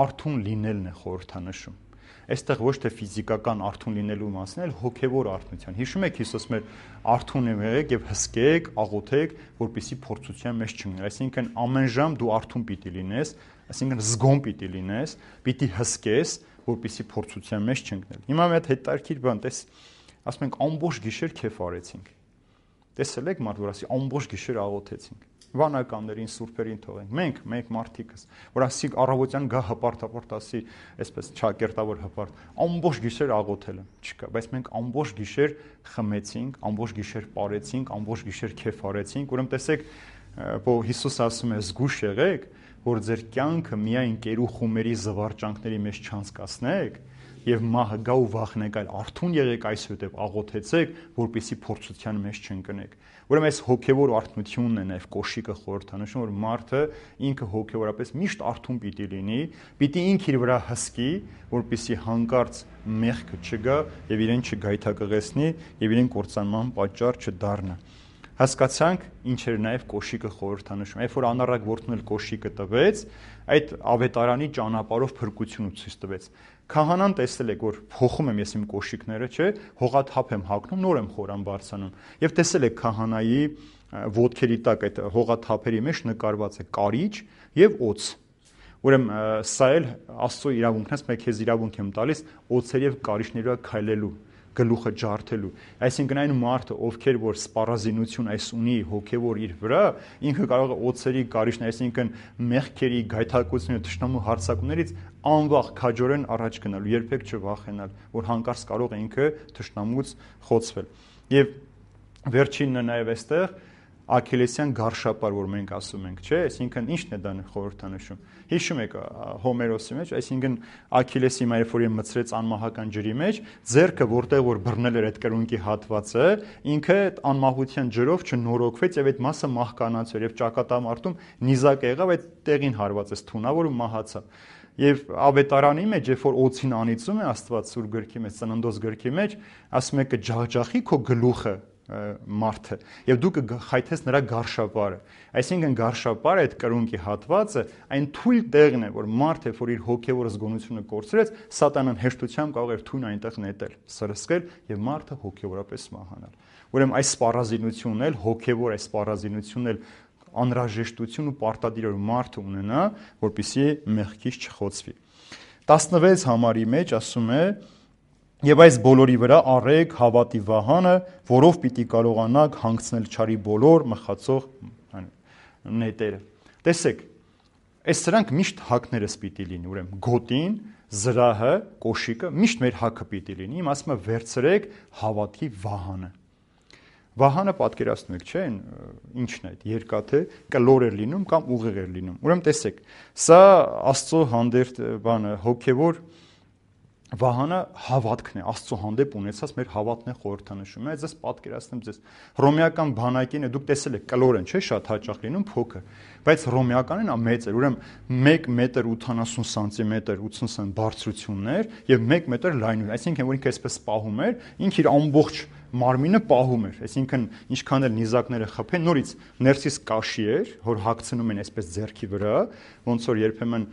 արթուն լինելն է խորհրդանշում։ Այստեղ ոչ թե ֆիզիկական արթուն լինելու մասն է, այլ հոգևոր արթունության։ Հիշում եք Հիսուս մեր արթուն եղեք եւ հսկեք, աղոթեք, որպեսզի փորձության մեջ չընկնեք։ Այսինքն ամեն ժամ դու արթուն պիտի լինես, այսինքն զգոն պիտի լինես, պիտի հսկես, որպեսզի փորձության մեջ չընկնել։ Հիմա մի հատ հետաքրքիր բան, տես, ասում ենք ամբողջ գիշեր քեֆ արեցինք։ Տեսել եք մարդ, որ ասի ամբողջ գիշեր աղոթեցինք։ Վանականներին, սուրբերին թողենք։ Մենք մարդիկս, որ ասի առավոտյան գա հպարտ ասի, այսպես չակերտավոր հպարտ, ամբողջ գիշեր աղոթել եմ, չկա, բայց մենք ամբողջ գիշեր խմեցինք, ամբողջ գիշեր պարեցինք, ամբողջ գիշեր քեֆ արեցինք, ուրեմն տեսեք, Հիսուս ասում է զգույշ եղեք, որ ձեր կյանքը միայն կերու խումերի զվարճանքների մեջ չանցկացնեք եւ մահը գա ու վախնեք, այլ արթուն եղեք այսուհետև աղոթեցեք, որպեսզի փորձության մեջ չընկնեք։ Ուրեմն այս հոգեվոր արթնությունն է նաեւ կոշիկը խորհրդանշում, որ մարդը ինքը հոգեվորապես միշտ արթուն պիտի լինի, պիտի ինքը իր վրա հսկի, որպեսզի հանկարծ մեղքը չգա եւ իրեն չգայթակղեցնի եւ իրեն կործանման պատճառ չդառնա։ Հասկացանք ինչ էր նաև կոշիկը խորհրդանշում։ Երբ որ անառակ որդուն էլ կոշիկը տվեց, այդ ավետարանի ճանապարհով փրկությունը ցույց տվեց։ Քահանան տեսել եք, որ փոխում եմ ես իմ կոշիկները, չէ, հողաթափ եմ հագնում, նոր եմ խորան բարձանում։ Եվ տեսել եք քահանայի ոտքերի տակ այդ հողաթափերի մեջ նկարված է կարիճ եւ օձ։ Ուրեմն սա էլ Աստծո իրավունքն է, ես քեզ իրավունք եմ տալիս օձեր եւ կարիճների վրա քայլելու, գլուխը ջարդելու։ Այսինքն այն մարդը, ովքեր որ սպառազինություն այս ունի հոգևոր իր վրա, ինքը կարող է օծերի կարիճն, այսինքն մեղքերի, գայթակղությունների, թշնամու հարձակումներից անվախ քաջորեն առաջ գնալ, երբեք չվախենալ, որ հանկարծ կարող է ինքը թշնամուց խոցվել։ Եվ վերջինը նաև այստեղ Աքիլեսյան գարշապար, որ մենք ասում ենք, չէ, այսինքն ի՞նչն է դա խորհրդանշում։ Հիշում եք Հոմերոսի մեջ, այսինքն Աքիլեսի երբ որ մցրեց անմահական ջրի մեջ, ձեռքը որտեղ որ բռնել էր այդ կրունկի հատվածը, ինքը անմահության ջրով չնորոգվեց եւ այդ մասը մահկանացավ եւ ճակատամարտում նիզակ եղավ, այդ տեղին հարվածեց թունավոր ու մահացավ։ Եվ ավետարանի մեջ, երբ որ օծին անիծում է Աստված սուր գրքի մեջ, Ծննդոց գրքի մեջ, ասում է կջախջախի քո գլուխը մարդը եւ դու կխայթես նրա գարշապարը։ Այսինքն գարշապարը այդ կրունկի հատվածը այն թույլ տեղն է, որ մարդը, որ իր հոգեվոր զգոնությունը կորցրեց, սատանան հեշտությամբ կարող էր թույն այնտեղ նետել, սրսկել եւ մարդը հոգեվորապես մահանալ։ Ուրեմն այս սպառազինությունն էլ հոգեվոր այս սպառազինությունն էլ անհրաժեշտություն ու պարտադիր որ մարդը ունենա, որպեսզի մեղքից չխոցվի։ 16 համարի մեջ ասում է. Եվ այս բոլորի վրա առեք հավատի վահանը, որով պիտի կարողանաք հանգցնել չարի բոլոր մխացող նետերը։ Տեսեք, այս սրանք միշտ հակներս պիտի լինի, ուրեմն գոտին, զրահը, կոշիկը միշտ մեր հակը պիտի լինի։ Իմ ասում եմ վերցրեք հավատի վահանը։ Վահանը պատկերացնում եք, չէ՞, ինչն է այդ երկաթե կլոր էր լինում կամ ուղիղ էր լինում։ Ուրեմն տեսեք, սա Աստծո հանդերձ բանը հոգևոր վահանը հավատքն է, Աստծո հանդեպ ունեցած մեր հավատն է խորհրդանշում։ Ես ձեզ պատկերացնեմ ձեզ հռոմեական բանակին, դուք տեսել եք կլոր են, չէ՞, շատ հաճախ լինում փոքր, բայց հռոմեականն է մեծ էր, ուրեմն 1 մետր 80 սանտիմետր 80 սմ բարձրություններ եւ 1 մետր լայնություն, այսինքն որ ինքը այսպես պահում էր, ինքը իր ամբողջ մարմինը պահում էր, այսինքն ինչքան էլ նիզակները խփեն, նորից ներսից կաշի էր, որ հագցնում են այսպես ձեռքի վրա, ոնց որ երբեմն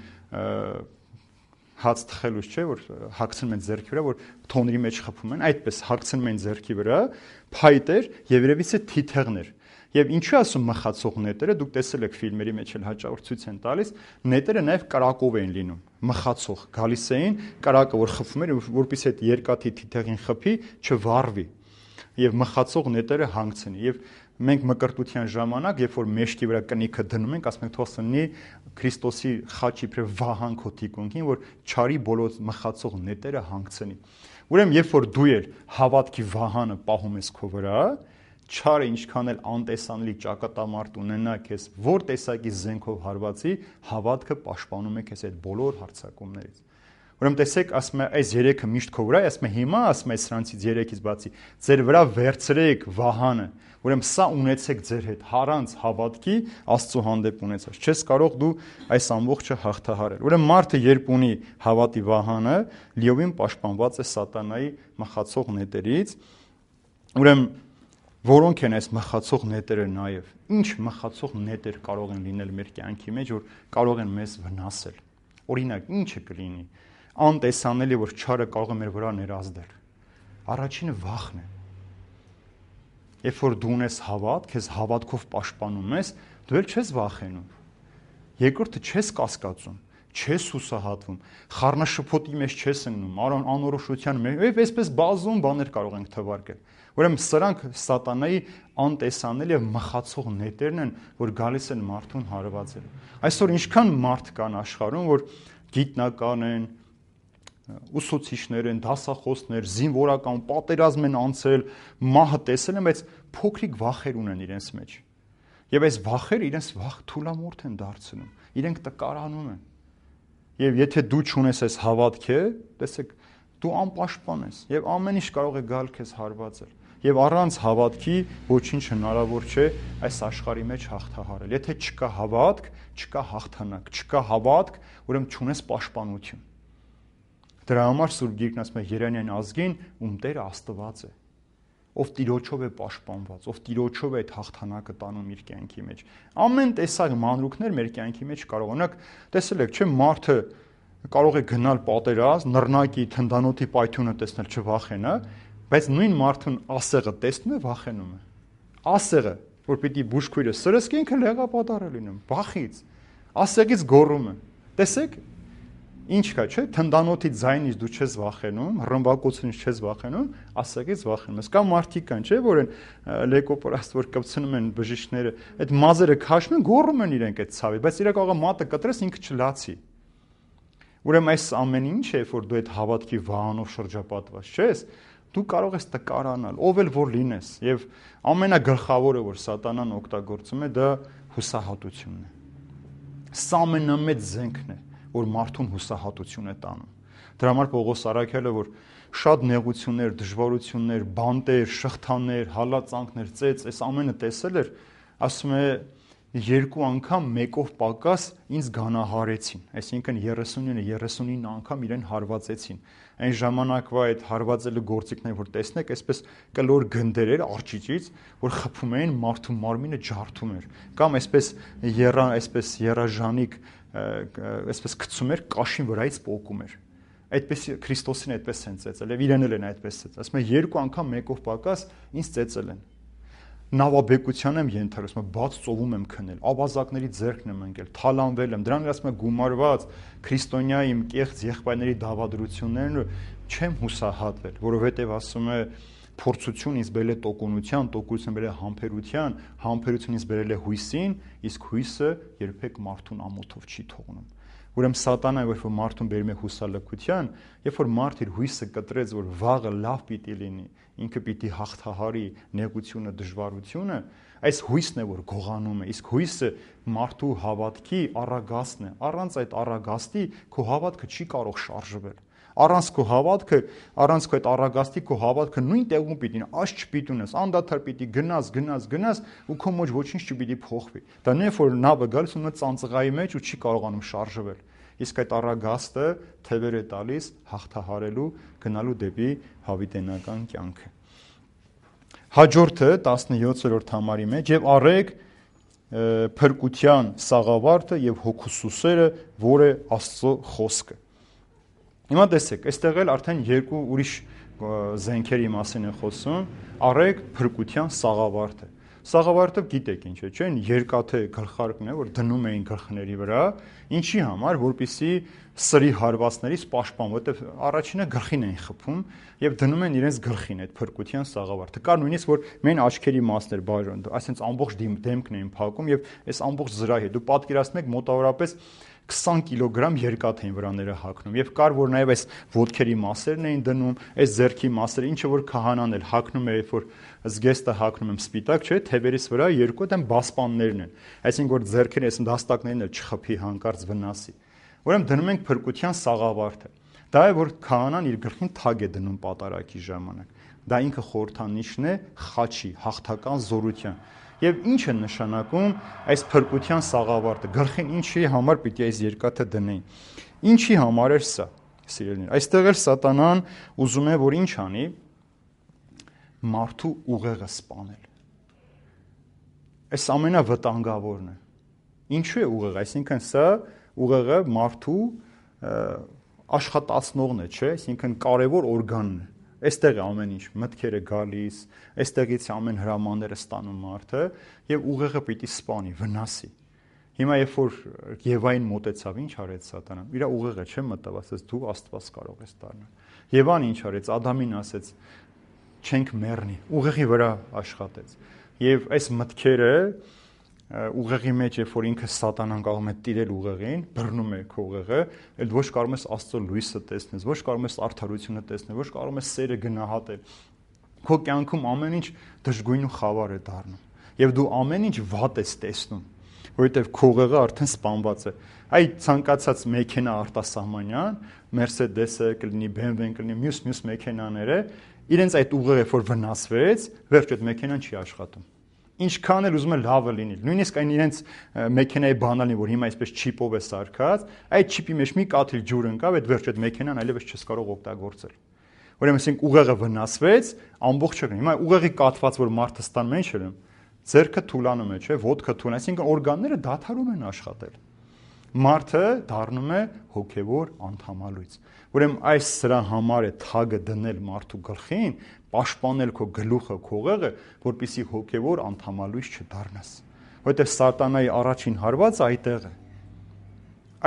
հաց թխելուց չէ, որ հագցնում են ձեռքի վրա, որ թոնրի մեջ խփում են, այդպես հագցնում են ձեռքի վրա, փայտ էր եւ երևից է թիթեղներ։ Եվ ինչու ասում մխացող նետերը, դուք տեսել եք ֆիլմերի մեջ էլ հաճախ ցույց են տալիս, նետերը նաև կրակով էին լինում, մխացող, գալիս էին կրակը, որ խփում էր, որպեսզի այդ երկաթի թիթեղին խփի, չվառվի եւ մխացող նետերը հանգցնի։ Եվ մենք մկրտության ժամանակ, երբ որ մեջքի վրա կնիքը դնում ենք, ասում ենք թող սնի Քրիստոսի խաչի իբրև վահան քո թիկունքին, որ չարի բոլոր մխացող նետերը հանգցնի։ Ուրեմն երբ որ դու ես հավատքի վահանը պահում ես քո վրա, չարը ինչքան էլ անտեսանելի ճակատամարտ ունենա քեզ, որ տեսակի զենքով հարվածի, հավատքը պաշտպանում է քեզ այդ բոլոր հարձակումներից։ Ուրեմն տեսեք, ասում է այս երեքը միշտ քո վրա է, ասում է հիմա, ասում է սրանցից երեքից բացի, ձեր վրա վերցրեք վահանը։ Ուրեմն սա ունեցեք ձեր հետ, առանց հավատքի Աստծո հանդեպ ունեցած։ Չես կարող դու այս ամբողջը հաղթահարել։ Ուրեմն մարդը երբ ունի հավատի վահանը, լիովին պաշտպանված է սատանայի մխացող նետերից։ Ուրեմն որոնք են այս մխացող նետերը նաև։ Ինչ մխացող նետեր կարող են լինել մեր կյանքի մեջ, որ կարող են մեզ վնասել։ Օրինակ, ինչը կլինի անտեսանելի, որ չարը կարող է մեր վրա ներազդել։ Առաջինը վախն է։ Երբ որ դու ունես հավատ, քեզ հավատքով պաշտպանում ես, դու էլ չես վախենում։ Երկրորդը չես կասկածում, չես հուսահատվում, խառնաշփոթի մեջ չես ընկնում, անորոշության մեջ, եւ այսպես բազում բաներ կարող ենք թվարկել։ Ուրեմն սրանք սատանայի անտեսանելի եւ մխացող նետերն են, որ գալիս են մարդուն հարվածել։ Այսօր ինչքան մարդ կան աշխարհում, որ գիտնական են, ուսուցիչներ են, դասախոսներ, զինվորական պատերազմ են անցել, մահը տեսել են, բայց փոքրիկ վախեր ունեն իրենց մեջ։ Եվ այս վախերը իրենց վախ թուլամորթ են դարձնում, իրենք տկարանում են։ Եվ եթե դու չունես այս հավատքը, տեսեք, դու անպաշտպան ես եւ ամեն ինչ կարող է գալ քեզ հարվածել։ Եվ առանց հավատքի ոչինչ հնարավոր չէ այս աշխարհի մեջ հաղթահարել։ Եթե չկա հավատք, չկա հաղթանակ, չկա հավատք, ուրեմն չունես պաշտպանություն։ Դրա համար Սուրբ Գիրքն ասում է Երանյան ազգին, ում Տերը Աստված է, ով Տիրոջով է պաշտպանված, ով Տիրոջով է այդ հաղթանակը տանում իր կյանքի մեջ։ Ամեն տեսակ մանրուքներ մեր կյանքի մեջ կարող օրինակ տեսել եք, չէ՞, մարդը կարող է գնալ պատերազմ, նռնակի թնդանոթի պայթյունը տեսնել չվախենա, բայց նույն մարդուն ասեղը տեսնում է, վախենում է։ Ասեղը, որ պիտի բուժքույրը սրսկի, ինքը լեղապատառ է լինում, վախից։ Ասեղից գոռում է։ Տեսեք, ինչ կա, չէ՞, թնդանոթի ձայնից դու չես վախենում, ռմբակոծությունից չես վախենում, ասեղից վախենում ես։ Կամ մարդիկ կան, չէ՞, որ են լեկոպորաստ, որ կպցնում են բժիշկները, այդ մազերը քաշում են, գոռում են իրենք այդ ցավի, բայց իրենք կարող է մատը կտրես, ինքը չլացի։ Ուրեմն այս ամեն ինչը, որ դու այդ հավատքի վահանով շրջապատված չես, դու կարող ես տկարանալ, ով էլ որ լինես, եւ ամենագլխավորը, որ սատանան օգտագործում է, դա հուսահատությունն է։ Սա ամենամեծ զենքն է, որ մարդուն հուսահատություն է տանում։ Դրա համար Պողոս Արաքյալը, որ շատ նեղություններ, դժվարություններ, բանտեր, շղթաներ, հալածանքներ, ծեծ, այս ամենը տեսել էր, ասում է երկու անգամ մեկով պակաս ինձ գանահարեցին, այսինքն 39 անգամ իրեն հարվածեցին։ Այն ժամանակվա այդ հարվածելու գործիքները, որ տեսնեք, այսպես կլոր գնդեր էր արջիճից, որ խփում էին մարդու մարմինը ջարդում էր, կամ այսպես երաժանիկ, այսպես գցում էր կաշին վրայից պոկում էր։ Այդպես Քրիստոսին այդպես են ծեծել, եւ իրեն էլ են այդպես ծեծել։ Ասում է երկու անգամ մեկով պակաս ինձ ծեծել են։ Նավաբեկության եմ ենթարկում, բաց ծովում եմ քնել, ավազակների ձեռքն եմ ընկել, թալանվել եմ, դրան ասում եմ գումարված քրիստոնյա իմ կեղծ եղբայրների դավադրություններն չեմ հուսահատվել, որովհետև ասում է փորձություն ինձ բերել է տոկունության, տոկունությունը բերել է համբերության, համբերությունը ինձ բերել է հույսին, իսկ հույսը երբեք մարդուն ամոթով չի թողնում։ Ուրեմն սատանան, երբ որ մարդուն բերում է հուսալքության, երբ որ մարդ իր հույսը կտրեց, որ վաղը լավ պիտի լինի, ինքը պիտի հաղթահարի նեղությունը, դժվարությունը, այս հույսն է, որ գողանում է, իսկ հույսը մարդու հավատքի առագաստն է։ Առանց այդ առագաստի քո հավատքը չի կարող շարժվել։ Առանց քո հավատքը, առանց քո այդ առագաստի քո հավատքը նույն տեղում պիտի լինի, աս չպիտի ունես, անդադար պիտի գնաս ու քո մեջ ոչինչ չպիտի փոխվի։ Դա նույն որ նավը գալիս ու ծանծղայի մեջ ու չի կարողանում շարժվել։ Իսկ այդ առագաստը թևեր է տալիս հաղթահարելու, գնալու դեպի հավիտենական կյանքը։ Հաջորդը 17-րդ համարի մեջ եւ առեք փրկության սաղավարտը եւ հոգուսուսերը, որ է Աստծո խոսքը։ Հիմա տեսեք, այստեղ էլ արդեն երկու ուրիշ զենքերի մասին է խոսում, առեք փրկության սաղավարտը։ Սաղավարտը գիտեք ինչ է, չէ՞, երկաթե գլխարկն է, որ դնում էին գլխների վրա, ինչի համար, որպեսզի սրի հարվածներից պաշտպան, որտեղ առաջինը գլխին էին խփում եւ դնում են իրենց գլխին այդ փրկության սաղավարտը։ Կար նույնիսկ որ մեն աչքերի մասներ բաժան, այսինքն ամբողջ դեմքն էին փակում եւ այս ամբողջ զրահի։ Դու պատկերացնում եք մոտավորապես 20 կիլոգրամ երկաթ էին վրաները հագնում եւ կար որ նաեւ այս ոտքերի մասերն էին դնում, այս ձեռքի մասերը, ինչը որ քահանան էլ հագնում էր, որ զգեստը հագնում եմ սպիտակ, չէ, թևերից վրա երկու դեմ բասպաններն են, այսինքն որ ձեռքերը այս դաստակներն էլ չխփի հանկարծ վնասի։ Ուրեմն դնում ենք փրկության սաղավարտը։ Դա է որ քահանան իր գլխին թագ է դնում պատարագի ժամանակ։ Դա ինքը խորհրդանիշն է խաչի, հաղթական զորության։ Եվ ինչ է նշանակում այս փրկության սաղավարտը, գլխին ինչի համար պիտի այս երկաթը դնեին։ Ինչի համար էր սա, սիրելիներ։ Այստեղ էլ սատանան ուզում է որ ինչ անի, մարդու ուղեղը սպանել։ Այս ամենավտանգավորն է։ Ինչու է ուղեղը, այսինքն սա ուղեղը մարդու աշխատացնողն է, չէ՞, այսինքն կարևոր օրգանն է։ Այստեղ է ամեն ինչ, մտքերը գալիս, այստեղից ամեն հրամանները ստանում մարդը եւ ուղեղը պիտի սպանի, վնասի։ Հիմա երբ որ Եվային մոտեցավ, ինչ արեց սատանան։ Իր ուղեղը չէ մտավ, ասեց դու Աստված կարող ես դառնալ։ Եվան ինչ արեց, Ադամին ասեց չենք մեռնի, ուղեղի վրա աշխատեց։ Եվ այս մտքերը ուղեղի մեջ երբ որ ինքը սատանան կարող է տիրել ուղեղին, բռնում է քո ուղեղը, այլ ոչ կարող ես Աստծո լույսը տեսնել, ոչ կարող ես արդարությունը տեսնել, ոչ կարող ես սերը գնահատել։ Քո կյանքում ամեն ինչ դժգույն ու խավար է դառնում։ եւ դու ամեն ինչ վատ ես տեսնում, որովհետեւ քո ուղեղը արդեն սպանված է։ Այ ցանկացած մեքենա արտասահմանյան, Mercedes-ը կլինի, BMW-ն կլինի, մյուս մեքենաները, իրենց այդ ուղեղը որ վնասվեց, վերջ այդ մեքենան չի աշխատում։ Ինչքան էլ ուզում է լավը լինի, նույնիսկ այն իրենց մեքենայի բանալին, որ հիմա այսպես չիպով է սարքած, այդ չիպի մեջ մի կաթիլ ջուր ընկավ, այդ վերջ այդ մեքենան այլևս չես կարող օգտագործել։ Ուրեմն ասենք ուղեղը վնասվեց, ամբողջը հիմա ուղեղի կաթված որ մարդը ստանում ինչ ելում, ձեռքը թուլանում է, չէ, ոտքը թուլանում, այսինքն օրգանները դադարում են աշխատել։ Մարդը դառնում է հոգևոր անդամալույց։ Ուրեմն այս սրա համար է թագը դնել մարդու գլխին, պաշտպանել քո գլուխը, քո ուղեղը, որպեսզի հոգևոր անդամալույց չդառնաս։ Որովհետև սատանայի առաջին հարվածը այդտեղ է։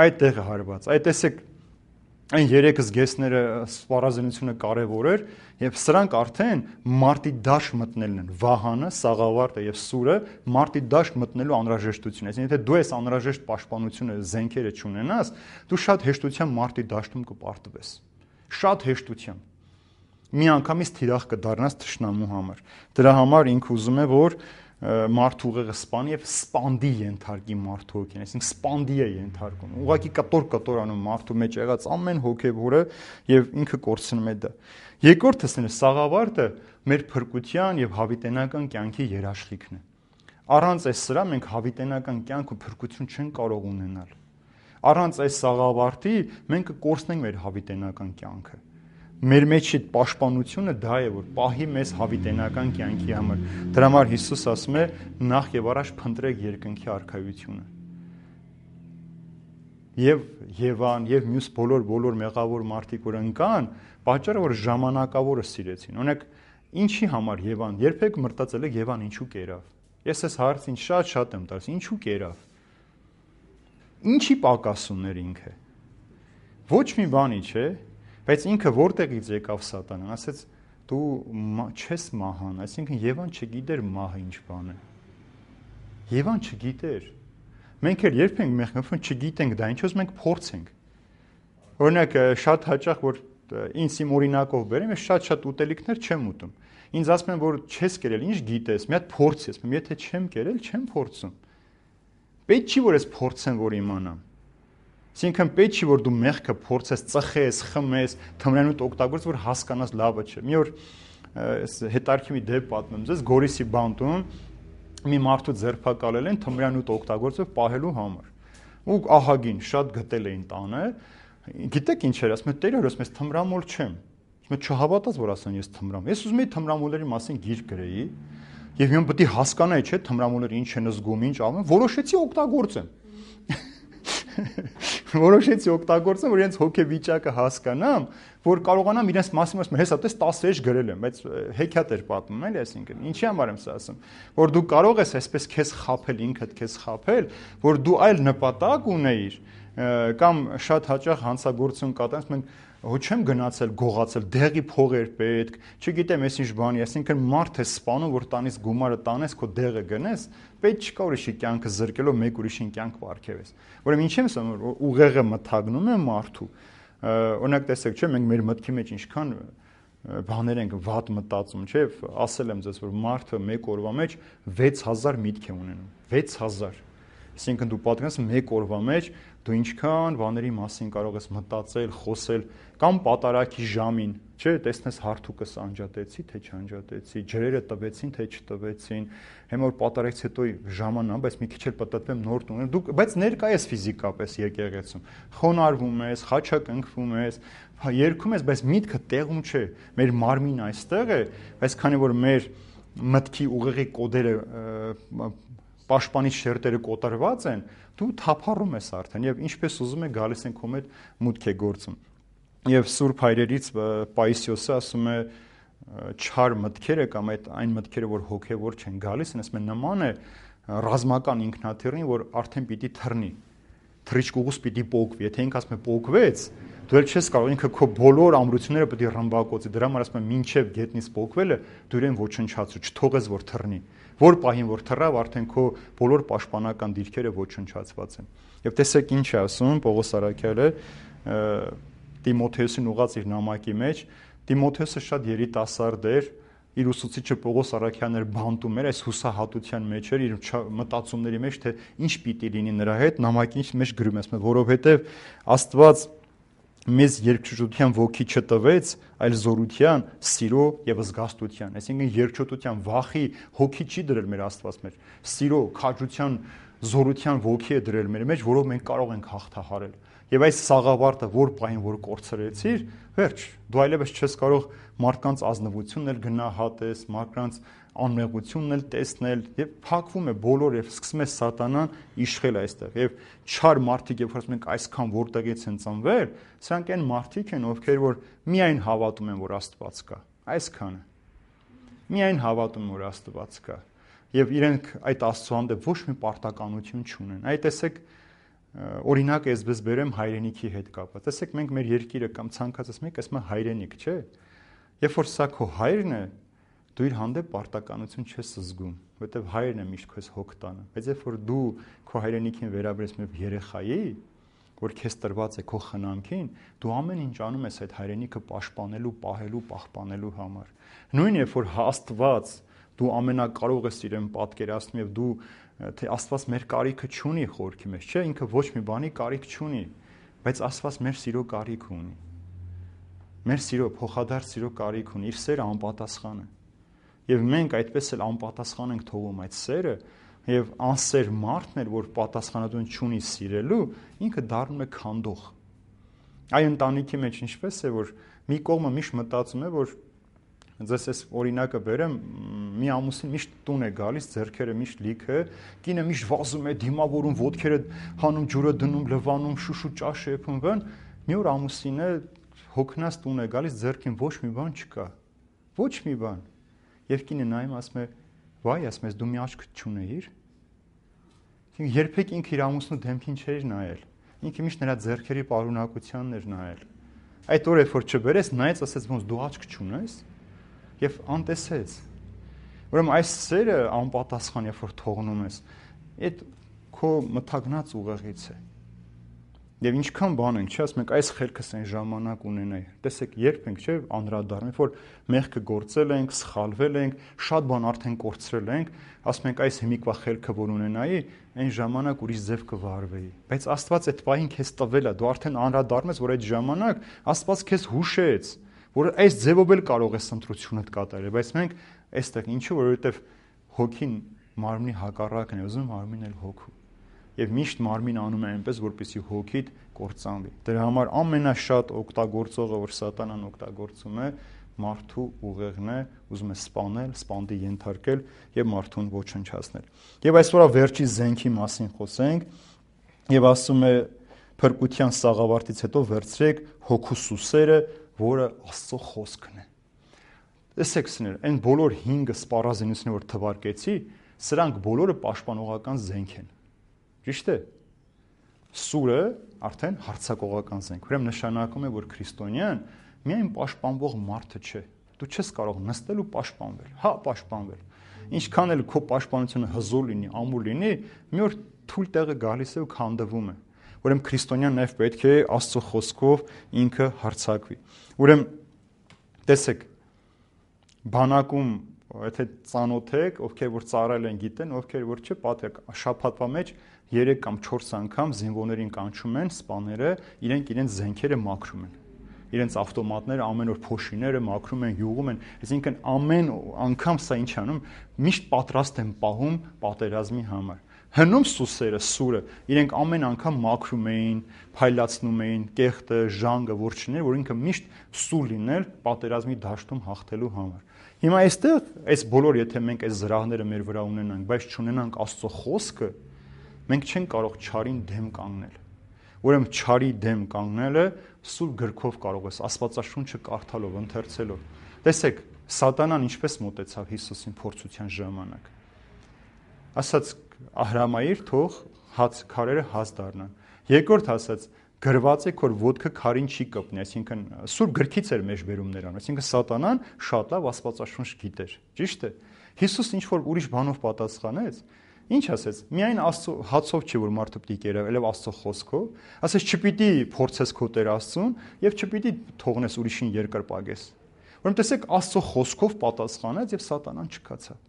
Այդտեղ է հարված։ Այդ տեսեք այն երեք զգեստները սպառազինությունը կարևոր էր, եւ սրանք արդեն մարտի դաշտ մտնելն են։ Վահանը, սաղավարտը եւ սուրը մարտի դաշտ մտնելու անհրաժեշտություն է։ Այսինքն եթե դու այս անհրաժեշտ պաշտպանությունը զենքերը չունենաս, դու շատ հեշտությամբ մարտի դաշտում կպարտվես։ Շատ հեշտությամբ։ Միանգամից թիրախ կդառնաս թշնամու համար։ Դրա համար ինքը ուզում է, որ մարդու ուղեղը սպանի եւ սպանդի ենթարկի մարդու հոգին, այսինքն սպանդի է ենթարկում։ Ուղղակի կտոր անում մարդու մեջ եղած ամեն հոգեվորը եւ ինքը կորցնում է դա։ Երկրորդը սաղավարտը մեր փրկության եւ հավիտենական կյանքի երաշխիքն է։ Առանց այս սրա մենք հավիտենական կյանք ու փրկություն չենք կարող ունենալ։ Առանց այս սաղավարտի մենք կկորցնենք մեր հավիտենական կյանքը։ Մեր մեջ այդ պաշտպանությունը դա է, որ պահի մեզ հավիտենական կյանքի համար։ Դրա համար Հիսուս ասում է նախ եւ առաջ փնտրեք երկնքի արքայությունը։ Եվ Եվան եւ մյուս բոլոր մեղավոր մարդիկ որ ընկան, պատճառը որ ժամանակավորը սիրեցին։ Օրինակ ինչի համար Եվան, երբեք մտածել եք Եվան ինչու կերավ։ Ես այս հարցին շատ եմ տալիս, ինչու կերավ։ Ինչի պակաս ուներ ինքը։ Ոչ մի բանի, չէ։ Բայց ինքը որտեղից եկավ սատանան, ասեց դու չես մահան, այսինքն Եվան չգիտեր մահը ինչ բան է։ Եվան չգիտեր։ Մենք էլ երբ ենք մեղքն չգիտենք դա, ինչպես մենք փորձենք։ Օրինակ շատ հաճախ որ ինձ իմ օրինակով բերեմ, ես շատ ուտելիքներ չեմ ուտում։ Ինձ ասում են որ չես կերել, ինչ գիտես, մի հատ փորձես, եթե չեմ կերել, չեմ փորձում։ Պետք չի որ ես փորձեմ որ իմանամ։ Այսինքն պետք չի որ դու մեղքը փորձես, ծխես, խմես, թմրանոտ օգտագործես, որ հասկանաս լավը չէ։ Մի օր հետարքի մի դեպ պատմեմ ձեզ, Գորիսի բանտում մի մարդու ձերբակալել են թմրանոտ օգտագործելով պահելու համար։ Ու ահագին շատ գտել էին տանը։ Գիտեք ինչ էր, ասում է Տեր ասում ես թմրամոլ չեմ։ Ասում է չհավատաս որ ասեն ես թմրամ։ Ես ուզում եի թմրամոլերի մասին գիրք գրեի եւ իմ պետք է հասկանայի, չէ՞, թմրամոլերը ինչ են զգում, ինչ անում, որոշեցի օգտագործեմ։ Որոշեցի օգտագործեմ, որ իրենց հոգեվիճակը հասկանամ, որ կարողանամ իրենց մասին ասեմ, հեսա տես 10 գրել եմ, բայց հեքիաթ էր պատմում, էլի, այսինքն, ինչի համար եմ սա ասում, որ դու կարող ես այսպես քեզ խաբել, ինքդ քեզ խաբել, որ դու այլ նպատակ ունեիր, կամ շատ հաճախ հանցագործություն կատարես, մենք հո չեմ գնացել, գողացել, դեղի փող էր պետք, չգիտեմ, ես ինչ բանի, այսինքն մարդ է սպանում, որ տանից գումարը տանես, քո դեղը գնես, պետք չկա ուրիշի կյանքը զրկելով մեկ ուրիշին կյանք պարգևես։ Ուրեմն ինչ եմ ասում, որ ուղեղը մթագնում է մարդու։ Օրինակ տեսեք, չէ, մենք մեր մտքի մեջ ինչքան բաներ ենք վատ մտածում, չէ, ասել եմ ձեզ, որ մարդը մեկ օրվա մեջ 6000 միտք է ունենում, 6000։ Այսինքն դու պատկերացրու մեկ օրվա մեջ դու ինչքան բաների մասին կարող ես մտածել, խոսել, կամ պատարակի ժամին, չէ, տեսնես հարթուկս անջատեցի, թե չանջատեցի, ջրերը տվեցին, թե չտվեցին, հիմա որ պատարակից հետո ժամանա, բայց մի քիչ էլ պատտվեմ նոր տուն, դու բայց ներկա ես ֆիզիկապես եկեղեցում, խոնարհվում ես, խաչակնքվում ես, երգում ես, բայց միտքը տեղում չէ, մեր մարմինը այստեղ է, բայց քանի որ մեր մտքի ուղեղի կոդերը պաշտպանիչ շերտերը կոտրված են, դու թափառում ես արդեն եւ ինչպես ուզում է գալիս են քո հետ մուտք է գործում։ Եվ Սուրբ Հայրերից Պայիսիոսը ասում է չար մտքերը կամ այն մտքերը, որ հոգեվոր չեն գալիս, ասում է նման է ռազմական ինքնաթիռին, որ արդեն պիտի թռնի։ Թռիչքուղուս պիտի պոկվի, եթե ինքը ասում է պոկվեց, դու էլ չես կարող, ինքը քո բոլոր ամրությունները պիտի ռմբակոծի, դրա համար ասում է մինչև գետնից պոկվելը դու իրեն ոչնչացու, չթողես որ թռնի։ Որ պահին որ թռավ, արդեն քո բոլոր պաշտպանական դիրքերը ոչնչացված են։ Եվ տեսեք ինչ է ասում Պողոս Առաքյալը Տիմոթեոսին ուղղած իր նամակի մեջ, Տիմոթեոսը շատ երիտասարդ էր, իր ուսուցիչը Պողոս Արաքյանն էր բանտում էր այս հուսահատության մեջ էր իր մտածումների մեջ թե ինչ պիտի լինի նրա հետ նամակի մեջ գրում ես որովհետև Աստված մեզ երկչոտության ոգի չտվեց, այլ զորության, սիրո եւ զգաստության։ Այսինքն երկչոտության վախի հոգի չի դրել մեր Աստված մեր։ Սիրո, քաջության, զորության ոգի է դրել մեր մեջ, որով մենք կարող ենք հաղթահարել։ Եվ այս սաղավարտը որ պահին որ կորցրեցիր, վերջ, դու այլևս չես կարող մարդկանց ազնվությունն էլ գնահատես, մարդկանց անմեղությունն էլ տեսնել եւ փակվում է բոլոր եւ սկսում է սատանան իշխել այստեղ եւ չար մարդիկ երբ որ ասում ենք այսքան որտեղից են ծնվել սրանք այն մարդիկ են ովքեր որ միայն հավատում են որ Աստված կա այսքանը միայն հավատում որ Աստված կա եւ իրենք այդ Աստծո հանդեպ ոչ մի պարտականություն չունեն այ տեսեք օրինակ էսպես բերեմ հայրենիքի հետ կապված տեսեք մենք մեր երկիրը կամ ցանկացած մեկ ասում է հայրենիք չէ երբ որ սա քո հայրն է դու իր հանդեպ պարտականություն չես զգում, որովհետև հայրն է միշտ քեզ հոգ տանը, բայց երբ որ դու քո հայրենիքին վերաբերես մի երեխայի, որ քեզ տրված է քո խնամքին, դու ամեն ինչ անում ես այդ հայրենիքը պաշտպանելու, պահելու, պահպանելու համար։ Նույն երբ որ Աստված դու ամենակարող ես իրեն պատկերացնում եւ դու թե Աստված մեր կարիքը չունի խորքի մեջ, չէ, ինքը ոչ մի բանի կարիք չունի, բայց Աստված մեր սիրո կարիք ունի։ Մեր սիրո փոխադարձ սիրո կարիք ունի, իր սերը անպատասխան է։ Եվ մենք այդպես էլ անպատասխան ենք թողում այդ սերը եւ անսեր մարդն էլ որ պատասխանատվություն չունի սիրելու ինքը դառնում է քանդող այ ընտանիքի մեջ ինչպես է որ մի կողմը միշտ մտածում է որ ձեզ այս օրինակը բերեմ մի ամուսին միշտ տուն է գալիս ձեռքերը միշտ լիքը կինը միշտ վազում է դիմավորում ոտքերը հանում ջուրը դնում լվանում շուշու ճաշ եփում բան մի օր ամուսինը հոգնած տուն է գալիս ձեռքին ոչ մի բան չկա ոչ մի բան Եվ կինը նայում ասում է, վայ, ասում ես դու մի աչք չունեիր։ Երբեք ինքը իր ամուսնու դեմքին չէր նայել։ Ինքը միշտ նրա ձեռքերի պարունակությանն էր նայել։ Այդ օրը որ չբերես, նայեց ասեց ոնց դու աչք չունես եւ անտեսեց։ Ուրեմն այս սերը անպատասխան երբ որ թողնում ես, այդ քո մթագնած ուղեղից է։ Եվ ինչքան բան ենք, չէ՞, ասում ենք այս խելքս այն ժամանակ ունենայի։ Տեսեք, երբ ենք, չէ՞, անդրադառնում, որ մեղքը գործել ենք, սխալվել ենք, շատ բան արդեն կորցրել ենք, ասում ենք այս հիմիկվա խելքը որ ունենայի, այն ժամանակ ուրիշ ձև կվարվեի։ Բայց Աստված այդ պահին քեզ տվել է, դու արդեն անդրադառնում ես, որ այդ ժամանակ Աստված քեզ հուշեց, որ այս ձևով էլ կարող ես ընտրությունդ կատարել, բայց մենք այստեղ ինչու, որովհետև հոգին մարմնի հակառակն է, ուզում մարմինն էլ հոգու։ Եվ միշտ մարմին անում է այնպես, որպեսզի հոգիդ կործանվի։ Դրա համար ամենաշատ օգտագործողը, որ սատանան օգտագործում է, մարդու ուղեղն է, ուզում է սպանել, սպանդի ենթարկել եւ մարդուն ոչնչացնել։ Եվ այսօր վերջի զենքի մասին խոսենք, եւ ասում է փրկության սաղավարտից հետո վերցրեք հոգու սուսերը, որը Աստծո խոսքն է։ Տեսեք սներ, այն բոլոր 5 սպառազինությունները, որ թվարկեցի, սրանք բոլորը պաշտպանողական զենք են։ Ճիշտ է։ Սուրը արդեն հարձակողական զենք։ Ուրեմն նշանակում է, որ քրիստոնյան միայն պաշտպանվող մարդը չէ։ Դու չես կարող նստել ու պաշտպանվել։ Հա, պաշտպանվել։ Ինչքան էլ քո պաշտպանությունը հզոր լինի, ամուր լինի, մի օր թույլ տեղը գալիս է ու քանդվում է։ Ուրեմն քրիստոնյան նաև պետք է Աստծո խոսքով ինքը հարձակվի։ Ուրեմն տեսեք, բանակում եթե ծանոթ եք, ովքեր որ ծառայել են գիտեն, ովքեր որ չէ, պատեք շաբաթվա մեջ 3 կամ 4 անգամ զինվորներին կանչում են սպաները, իրենց զենքերը մաքրում են։ Իրենց ավտոմատները ամեն օր փոշիները մաքրում են, յուղում են, այսինքն ամեն անգամ սա ինչ անում, միշտ պատրաստ են պահում պատերազմի համար։ Հնում սուսերը, սուրը, իրենք ամեն անգամ մաքրում էին, փայլացնում էին, կեղտը, ժանգը, որ չներ, որ ինքը միշտ սուր լինել պատերազմի դաշտում հաղթելու համար։ Հիմա այստեղ այս բոլոր եթե մենք այս զրահները մեր վրա ունենանք, բայց չունենանք Աստծո խոսքը, մենք չենք կարող չարին դեմ կանգնել։ Ուրեմն չարի դեմ կանգնելը սուրբ գրքով կարող ես Աստվածաշունչը կարդալով, ընթերցելով։ Տեսեք, սատանան ինչպես մոտեցավ Հիսուսին փորձության ժամանակ։ Ասաց հրամայիր թող քարերը հաց դառնան։ Երկրորդ ասաց գրված է որ ոտքը քարին չի կպնի, այսինքն սուրբ գրքից էր մեջ բերում նրան, այսինքն սատանան շատ լավ Աստվածաշունչ գիտեր։ Ճիշտ է։ Հիսուս ինչ որ ուրիշ բանով պատասխանեց, ինչ ասեց։ Միայն Աստծո հացով չի որ մարդը պիտի կերավ, այլև Աստծո խոսքով։ Ասեց չպիտի փորձես քո Տեր Աստծուն եւ չպիտի թողնես ուրիշին երկրպագես։ Ուրեմն տեսեք, Աստծո խոսքով պատասխանեց եւ սատանան չկացավ։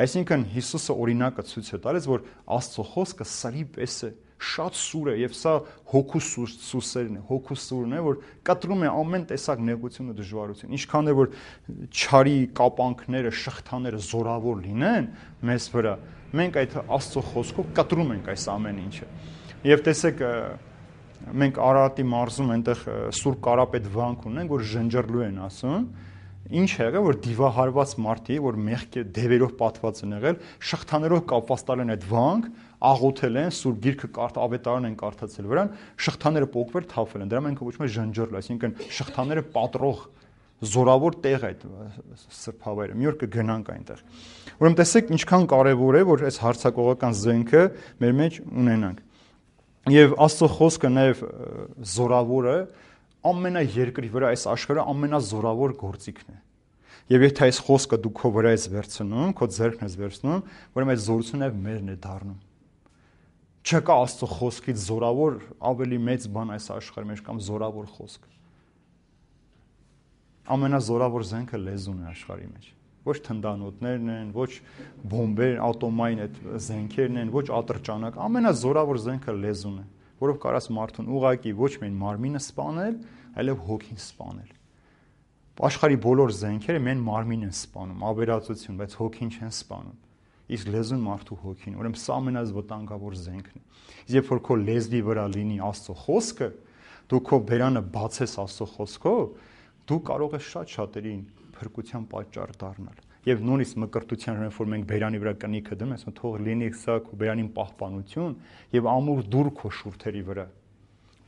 Այսինքն Հիսուսը օրինակը ցույց է տալիս, որ Աստծո խոսքը սրի պես է, շատ սուր է եւ սա հոգու սուսերն է, հոգու սուրն է, որ կտրում է ամեն տեսակ նեղություն ու դժվարություն։ Ինչքան է որ չարի կապանքները, շղթաները զորավոր լինեն մեզ վրա, մենք այդ Աստծո խոսքով կտրում ենք այս ամեն ինչը։ Եվ տեսեք, մենք Արարատի մարզում այնտեղ Սուրբ Կարապետ վանք ունենք, որ ժնջռլու են ասում։ Ինչ է եղել, որ դիվահարված մարդի, որ մեղքի դևերով պատված են եղել, շղթաներով կապված տալ են այդ վանք, աղոթել են, Սուրբ Գիրքը ավետարան են կարդացել վրան, շղթաները պոկվել, թափվել են։ Դրա մենք կոչում ենք ժնջռլ, այսինքն շղթաները պատռող զորավոր տեղ այդ սրբավայրը։ Մի օր կգնանք այնտեղ։ Ուրեմն տեսեք, ինչքան կարևոր է, որ այս հարցակողական զենքը մեր մեջ ունենանք։ Եվ Աստծո խոսքը նաև զորավորը ամենաերկրի վրա այս աշխարհը ամենազորավոր գործիքն է։ Եվ եթե այս խոսքը դու քո վրա ես վերցնում, քո ձեռքն ես վերցնում, ուրեմն այդ զորությունը մերն է դառնում։ Չկա Աստծո խոսքից զորավոր ավելի մեծ բան այս աշխարհի մեջ կամ զորավոր խոսք։ Ամենազորավոր զենքը լեզուն է աշխարհի մեջ։ Ոչ թնդանոթներն են, ոչ բոմբեր, ատոմային այդ զենքերն են, ոչ ատրճանակ, ամենազորավոր զենքը լեզուն է, որով կարաս մարդուն ուղակի ոչ միայն մարմինը սպանել, այլև հոգին սպանել։ Աշխարհի բոլոր զենքերը մեն մարմին են սպանում, ավերածություն, բայց հոգին չեն սպանում։ Իսկ լեզուն մարդու հոգին, ուրեմն սա ամենազվտանգավոր զենքն է։ Երբ որ քո լեզվի վրա լինի Աստծո խոսքը, դու քո բերանը բացես Աստծո խոսքով, դու կարող ես շատ շատերին փրկության պատճառ դառնալ։ Եվ նույնիսկ մկրտության ժամանակ, որ մենք բերանի վրա կնիքը դնում ենք, թող լինի սա քո բերանին պահպանություն եւ ամուր դուր քո շուրթերի վրա։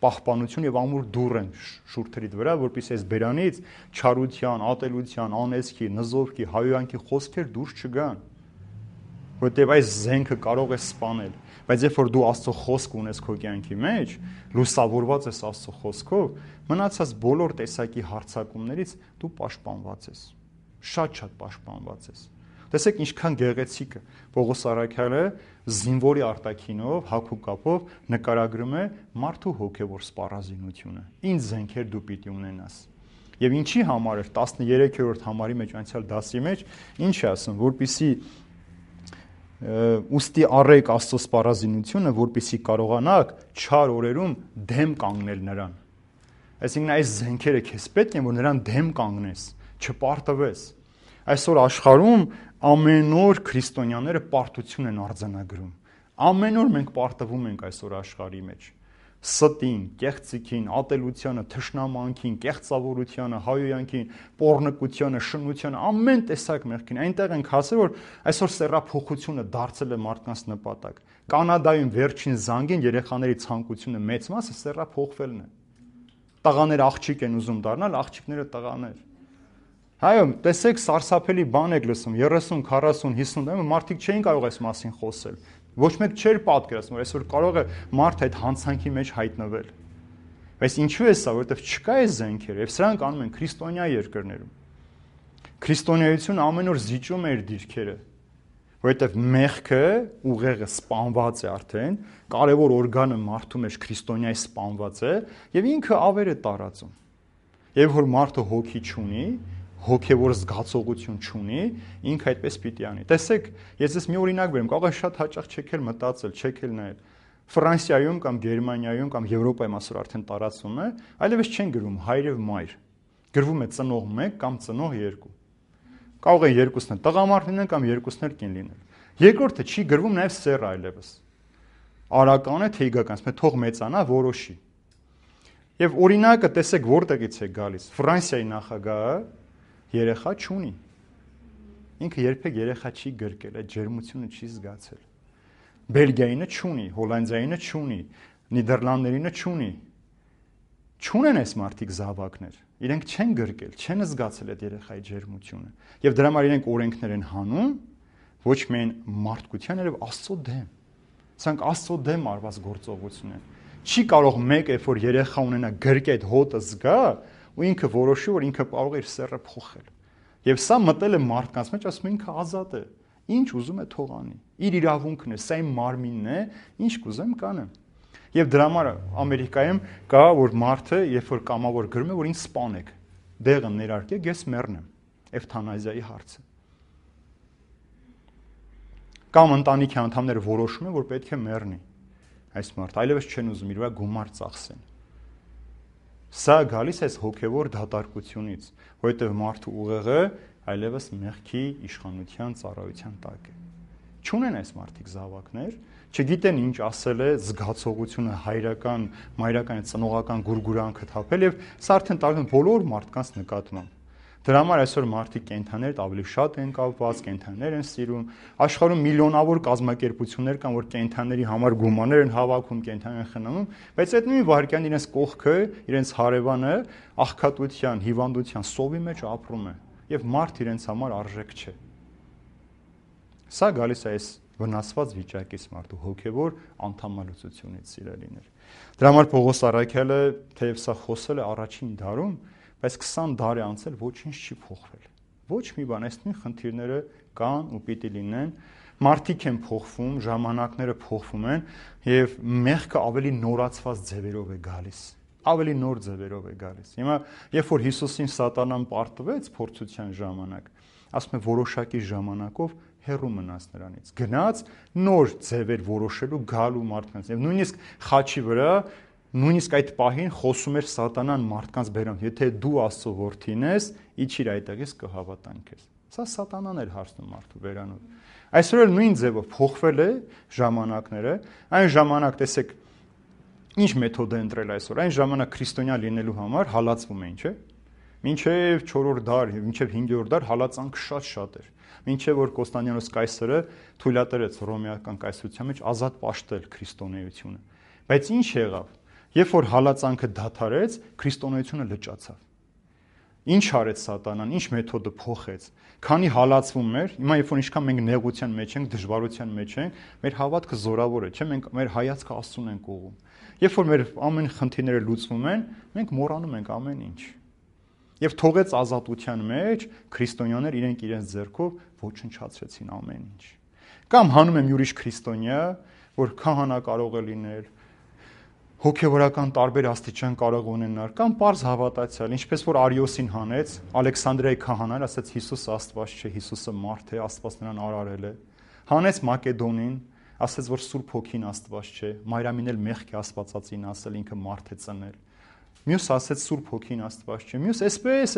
Պահպանություն եւ ամուր դուր են շուրթերիդ վրա, որպեսզի այս բերանից չարության, ատելության, անեծքի, նզովքի, հայոյանքի խոսքեր դուրս չգան։ Որտեւ այս զենքը կարող է սպանել, բայց երբ որ դու Աստծո խոսք ունես քո կյանքի մեջ, լուսավորված ես Աստծո խոսքով, մնացած բոլոր տեսակի հարցակումներից դու պաշտպանված ես։ Շատ պաշտպանված ես։ Տեսեք ինչքան գեղեցիկ է։ Պողոս առաքյալը զինվորի արտաքինով, հագու կապով նկարագրում է մարդու հոգևոր սպառազինությունը։ Ինչ զենքեր դու պիտի ունենաս։ Եվ ինչի համար է 13-րդ համարի մեջ անցյալ դասի մեջ ինչ է ասում, որպեսզի ուստի առեք Աստծո սպառազինությունը, որպեսզի կարողանաք չար օրերում դեմ կանգնել նրան։ Այսինքն այս զենքերը քեզ պետք են, որ նրան դեմ կանգնես, չպարտվես։ Այսօր աշխարհում ամեն օր քրիստոնյաները պարտություն են արձանագրում։ Ամեն օր մենք պարտվում ենք այսօր աշխարհի մեջ։ Ստին, կեղծիքին, ատելությանը, թշնամանքին, կեղծավորությանը, հայոյանքին, պոռնկությանը, շնությանը, ամեն տեսակ մեղքին։ Այնտեղ ենք հասել, որ այսօր սեռափոխությունը դարձել է մարդկանց նպատակ։ Կանադայում վերջին զանգին երեխաների ցանկությունը մեծ մասը սեռափոխվելն է։ Տղաները աղջիկ են ուզում դառնալ, աղջիկները տղաներ։ Հայո, տեսեք, սարսափելի բան եք լսում, 30, 40, 50 տարի մարդիկ չէին կարող այս մասին խոսել։ Ոչ մեկ չէր պատկերացնում, որ այսօր կարող է մարդ այդ հանցանքի մեջ հայտնվել։ Բայց ինչու է սա, որովհետև չկա այս զենքերը, եւ սրանք անում են քրիստոնյա երկրներում։ Քրիստոնեությունը ամեն օր զիջում է իր դիրքերը, որովհետև մեղքը ուղեղը սպանված է արդեն, կարևոր օրգանը մարդու մեջ քրիստոնյայի սպանված է, եւ ինքը ավեր է տարածում։ Եվ որ մարդը հոգի չունի, հոգևոր զգացողություն չունի, ինքը այդպես պիտի անի։ Տեսեք, ես ես մի օրինակ բերեմ, կարող է շատ հաճախ չեք էլ մտածել, չեք էլ նայել։ Ֆրանսիայում կամ Գերմանիայում կամ Եվրոպայում այսօր արդեն տարածվում է, այլևս չեն գրում հայր եւ մայր։ Գրվում է ծնող 1 կամ ծնող 2։ Կարող է երկուսն էլ տղամարդ լինեն կամ երկուսն էլ կին լինեն։ Երկրորդը չի գրվում նաեւ սեռ այլևս։ Արական է թե իգական, ասում է թող մեծանա, որոշի։ Եվ օրինակը տեսեք որտեղից է գալիս։ Ֆրանսիայի նախագահը երեխա չունի։ Ինքը երբեք երեխա չի գրկել, այդ ջերմությունը չի զգացել։ Բելգիայինը չունի, Հոլանդիայինը չունի, Նիդերլանդներինը չունի։ Չունեն այս մարդիկ զավակներ։ Իրենք չեն գրկել, չեն զգացել այդ երեխայի ջերմությունը։ Եվ դրա համար իրենք օրենքներ են հանում, ոչ միայն մարդկության, այլև Աստծո դեմ։ Սրանք Աստծո դեմ արված գործողություն են։ Չի կարող մեկը, որ երեխա ունենա, գրկի այդ հոտը զգա, ու ինքը որոշի, որ ինքը կարող է իր սեռը փոխել։ Եվ սա մտել է մարդկանց մեջ, ասում է ինքը ազատ է։ Ինչ ուզում է թող անի։ Իր իրավունքն է, սա իմ մարմինն է, ինչ կուզեմ կանեմ։ Եվ դրա համար Ամերիկայում կա, որ մարդը, երբ որ կամավոր գրում է, որ ինձ սպանեք։ դեղը ներարկեք, ես մեռնեմ։ Էվթանազիայի հարցը։ Կամ ընտանիքի անդամները որոշում են, որ պետք է մեռնի այս մարդը, այլևս չեն ուզում իր վրա գումար ծախսեն։ Սա գալիս է հոգևոր դատարկությունից, որովհետև մարդու ուղեղը այլևս մեղքի իշխանության ծառայության տակ է։ Չունեն այս մարդիկ զավակներ, չգիտեն ինչ ասել է զգացողությունը հայրական, մայրական, ծնողական գուրգուրանքը թափել եւ սա արդեն տարվում բոլոր մարդկանց նկատմամբ։ Դրա համար այսօր մարդիկ կենդանիներդ ավելի շատ են կապված, կենդանիներ են սիրում, աշխարհում միլիոնավոր կազմակերպություններ կան, որ կենդանիների համար գումարներ են հավաքում, կենդանիներ խնամում, բայց այդ նույն վայրկյան իրենց կողքը, իրենց հարևանը աղքատության, հիվանդության, սովի մեջ ապրում է եւ մարդ իրենց համար արժեք չէ։ Սա գալիս է այս վնասված վիճակից մարդու հոգևոր անդամալուծությունից սիրելիներ։ Դրա համար Պողոս առաքյալը թեև սա խոսել է առաջին դարում, բայց 20 դար է անցել, ոչինչ չի փոխվել։ Ոչ մի բան, այս նույն խնդիրները կան ու պիտի լինեն, մարդիկ են փոխվում, ժամանակները փոխվում են եւ մեղքը ավելի նորացված ձևերով է գալիս, ավելի նոր ձևերով է գալիս։ Հիմա երբ որ Հիսուսին սատանան պարտվեց փորձության ժամանակ, ասում է որոշակի ժամանակով հեռու մնաց նրանից, գնաց նոր ձևեր որոշելու գալու մարդկանց եւ նույնիսկ խաչի վրա նույնիսկ այդ պահին խոսում էր սատանան մարդկանց բերան, եթե դու Աստծո որդին ես, իջիր այդտեղից կհավատան քեզ։ Սա սատանան էր հարցնում մարդու բերանով։ Այսօր էլ նույն ձևով փոխվել է ժամանակները, այն ժամանակ տեսեք ինչ մեթոդ է ընտրել այսօր, այն ժամանակ քրիստոնյա լինելու համար հալածվում էին, չէ՞։ Մինչև 4-րդ դար, մինչև 5-րդ դար հալածանքը շատ էր։ Մինչև որ Կոստանդիանոս կայսրը թույլատրեց ռոմեական կայսրության մեջ ազատ պաշտել քրիստոնեությունը։ Բայց ինչ եղավ։ Երբ որ հալածանքը դադարեց, քրիստոնեությունը լճացավ։ Ինչ արեց սատանան, ինչ մեթոդը փոխեց։ Քանի հալածվում էր, հիմա երբ որ ինչքան մենք նեղության մեջ ենք, դժվարության մեջ ենք, մեր հավատքը զորավոր է, չէ՞, մենք մեր հայացքը Աստծուն ենք ուղղում։ Երբ որ մեր ամեն խնդիրները լուծվում են, մենք մոռանում ենք ամեն ինչ։ Եվ թողեց ազատության մեջ քրիստոնյաներ իրենք իրենց ձեռքով ոչնչացրեցին ամեն ինչ։ Կամ հանում եմ յուրիշ քրիստոնյա, որ քահանա կարող է լինել, հոգևորական տարբեր աստիճան կարող ունենալ, կամ պարզ հավատացյալ, ինչպես որ Արիոսին հանեց, Ալեքսանդրիայի քահանան ասաց Հիսուսը Աստված չէ, Հիսուսը մարդ է, Աստված նրան արարել է։ Հանեց Մակեդոնին, ասաց որ Սուրբ Հոգին Աստված չէ, Մարիամին էլ մեղքի աստվածածին ասել ինքը մարդ է ծնել։ Մյուս ասեց Սուրբ Հոգին Աստված չէ։ Մյուս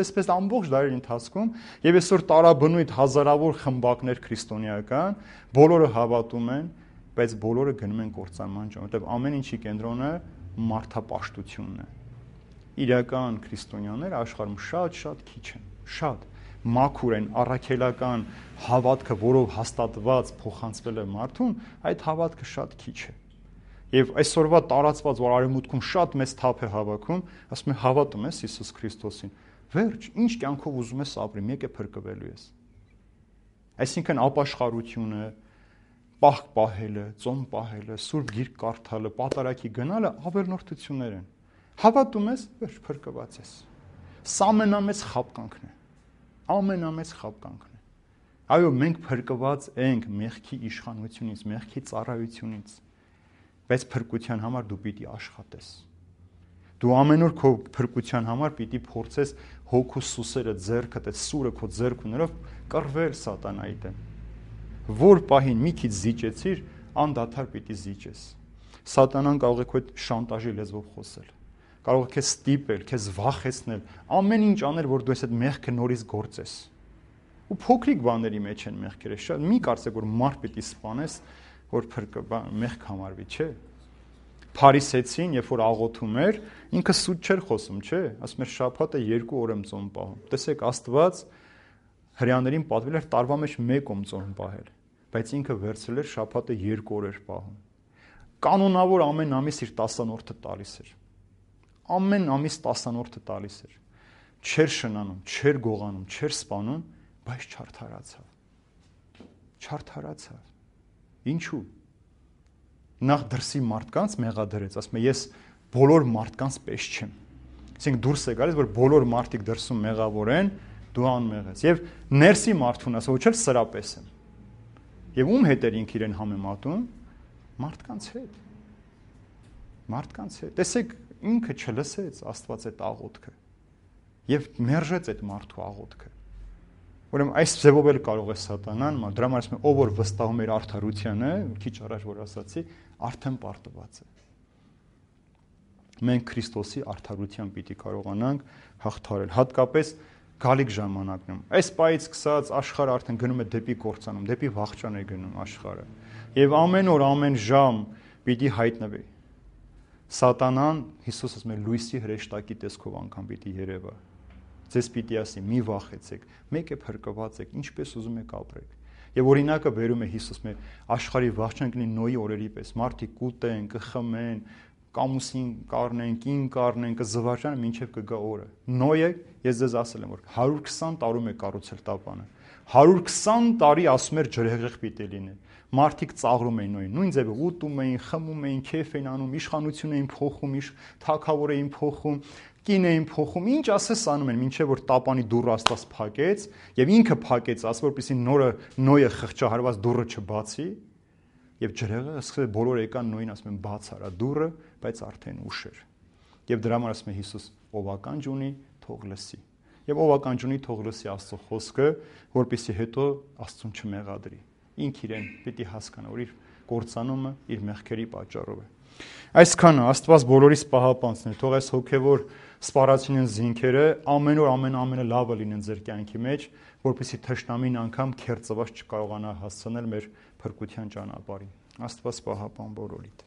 այսպես ամբողջ դարերի ընթացքում եւ այսօր տարաբնույթ հազարավոր խմբակներ քրիստոնեական, բոլորը հավատում են, բայց բոլորը գնում են կործանման, որովհետեւ ամեն ինչի կենտրոնը մարդապաշտությունն է։ Իրական քրիստոնյաները աշխարհում շատ քիչ են, շատ մաքուր են, առաքելական հավատքը, որով հաստատված փոխանցվել է մարդուն, այդ հավատքը շատ քիչ է։ Եվ այսօրվա տարածված որ արևմուտքում շատ մեծ թափ է հավաքում, ասում է հավատում ես Հիսուս Քրիստոսին։ Վերջ, ինչ կյանքով ուզում ես ապրի, մեկ է փրկվելու ես։ Այսինքն ապաշխարությունը, պահ պահելը, ծոմ պահելը, սուրբ գիրք կարդալը, պատարակի գնալը ավելնորդություններ են։ Հավատում ես, վերջ փրկված ես։ Սա ամենամեծ խաբկանքն է։ Ամենամեծ խաբկանքն է։ Այո, մենք փրկված ենք մեղքի իշխանությունից, մեղքի ծառայությունից։ Բայց փրկության համար դու պիտի աշխատես։ Դու ամեն օր քո փրկության համար պիտի փորձես հոգու սուսերը ձեռքդ, այդ սուրը քո ձեռքուններով կռվել սատանայի դեմ։ Որ պահին մի քիչ զիջեցիր, անդադար պիտի զիջես։ Սատանան կարող է քո այդ շանտաժի լեզվով խոսել։ Կարող է քեզ ստիպել, քեզ վախեցնել, ամեն ինչ անել, որ դու այդ մեղքը նորից գործես։ Ու փոքրիկ բաների մեջ են մեղքերը, շատ մի կարծեք որ մարդ պիտի սպանես, որ մեղք համարվի, չէ։ Փարիսեցին, երբ որ աղոթում էր, ինքը սուտ չէր խոսում, չէ։ Ասում էր շաբաթը 2 օր եմ ծոմ պահում։ Տեսեք, Աստված հրեաներին պատվել էր տարվա մեջ 1 օր ծոմ պահել, բայց ինքը վերցրել էր շաբաթը 2 օր էր պահում։ Կանոնավոր ամեն ամիս իր 10-րդը տալիս էր։ Ամեն ամիս 10-րդը տալիս էր։ Չէր շնանում, չէր գողանում, չէր սպանում, բայց չարթարացավ։ Չարթարացավ։ Ինչու՞։ Նախ դրսի մարդկանց մեղադրեց, ասում է ես բոլոր մարդկանց պես չեմ։ Այսինքն դուրս է գալիս, որ բոլոր մարդիկ դրսում մեղավոր են, դու անմեղ ես։ Եվ ներսի մարդուն ասում, ոչ էլ սրա պես եմ։ Եվ ում հետ էր ինքը իրեն համեմատում։ Մարդկանց հետ։ Մարդկանց հետ։ Տեսեք, ինքը չլսեց Աստված այդ աղոթքը։ եւ մերժեց այդ մարդու աղոթքը։ Ուրեմն այս ձևով էլ կարող է սատանան, դրա համար ասում եմ, ով որ վստահում էր արդարությանը, քիչ առաջ որ ասացի, արդեն պարտված է։ Մենք Քրիստոսի արդարությամբ պիտի կարողանանք հաղթարել, հատկապես գալիք ժամանակնում։ Այս պայից սկսած աշխարհը արդեն գնում է դեպի կործանում, դեպի վախճան է գնում աշխարհը։ Եվ ամեն օր, ամեն ժամ պիտի հայտնվի։ Սատանան, Հիսուսը ասում է, լույսի հրեշտակի տեսքով անգամ պիտի երևա։ Ձեզ պիտի ասի, մի վախեցեք, մեկ է փրկված եք, ինչպես ուզում եք ապրեք։ Եվ օրինակը բերում է Հիսուսը, աշխարհի վախճան կլինի Նոյի օրերի պես, մարդիկ կուտեն, կխմեն, կամուսին կառնեն, կին կառնեն, կզվարճան, մինչև կգա օրը։ Նոյը, ես ձեզ ասել եմ, որ 120 տարում է կառուցել տապանը։ 120 տարի ասում էր ջրհեղեղ պիտի լինի։ Մարդիկ ծաղրում էին Նոյին, նույն ձևը ուտում էին, խմում էին, քեֆ էին անում, իշխանություն էին փոխում, թագավոր էին փոխում, կին էին փոխում, ինչ ասես անում են, մինչև որ տապանի դուռը Աստված փակեց, եւ ինքը փակեց, ասում որպեսզի Նոյը խղճահարված դուռը չբացի, եւ ջրհեղեղը սկսել բոլորը եկան Նոյին ասում են բաց արա դուռը, բայց արդեն ուշ էր։ Եվ դրա համար ասում է Հիսուս, ով ականջ ունի, թող լսի։ Եվ ով ականջ ունի, թող լսի Աստծո խոսքը, որպեսզի հետո Աստծուն չմեղադրի։ Ինք իրեն պիտի հասկանա, որ իր կործանումը իր մեղքերի պատճառով է։ Այսքանը Աստված բոլորիս պահապանցն է, թող այս հոգևոր սպառածին զինքերը ամեն օր ամենը լավը լինեն ձեր կյանքի մեջ, որպեսզի թշնամին անգամ քերծված չկարողանա հասցնել մեր փրկության ճանապարհին։ Աստված պահապան բոլորիդ։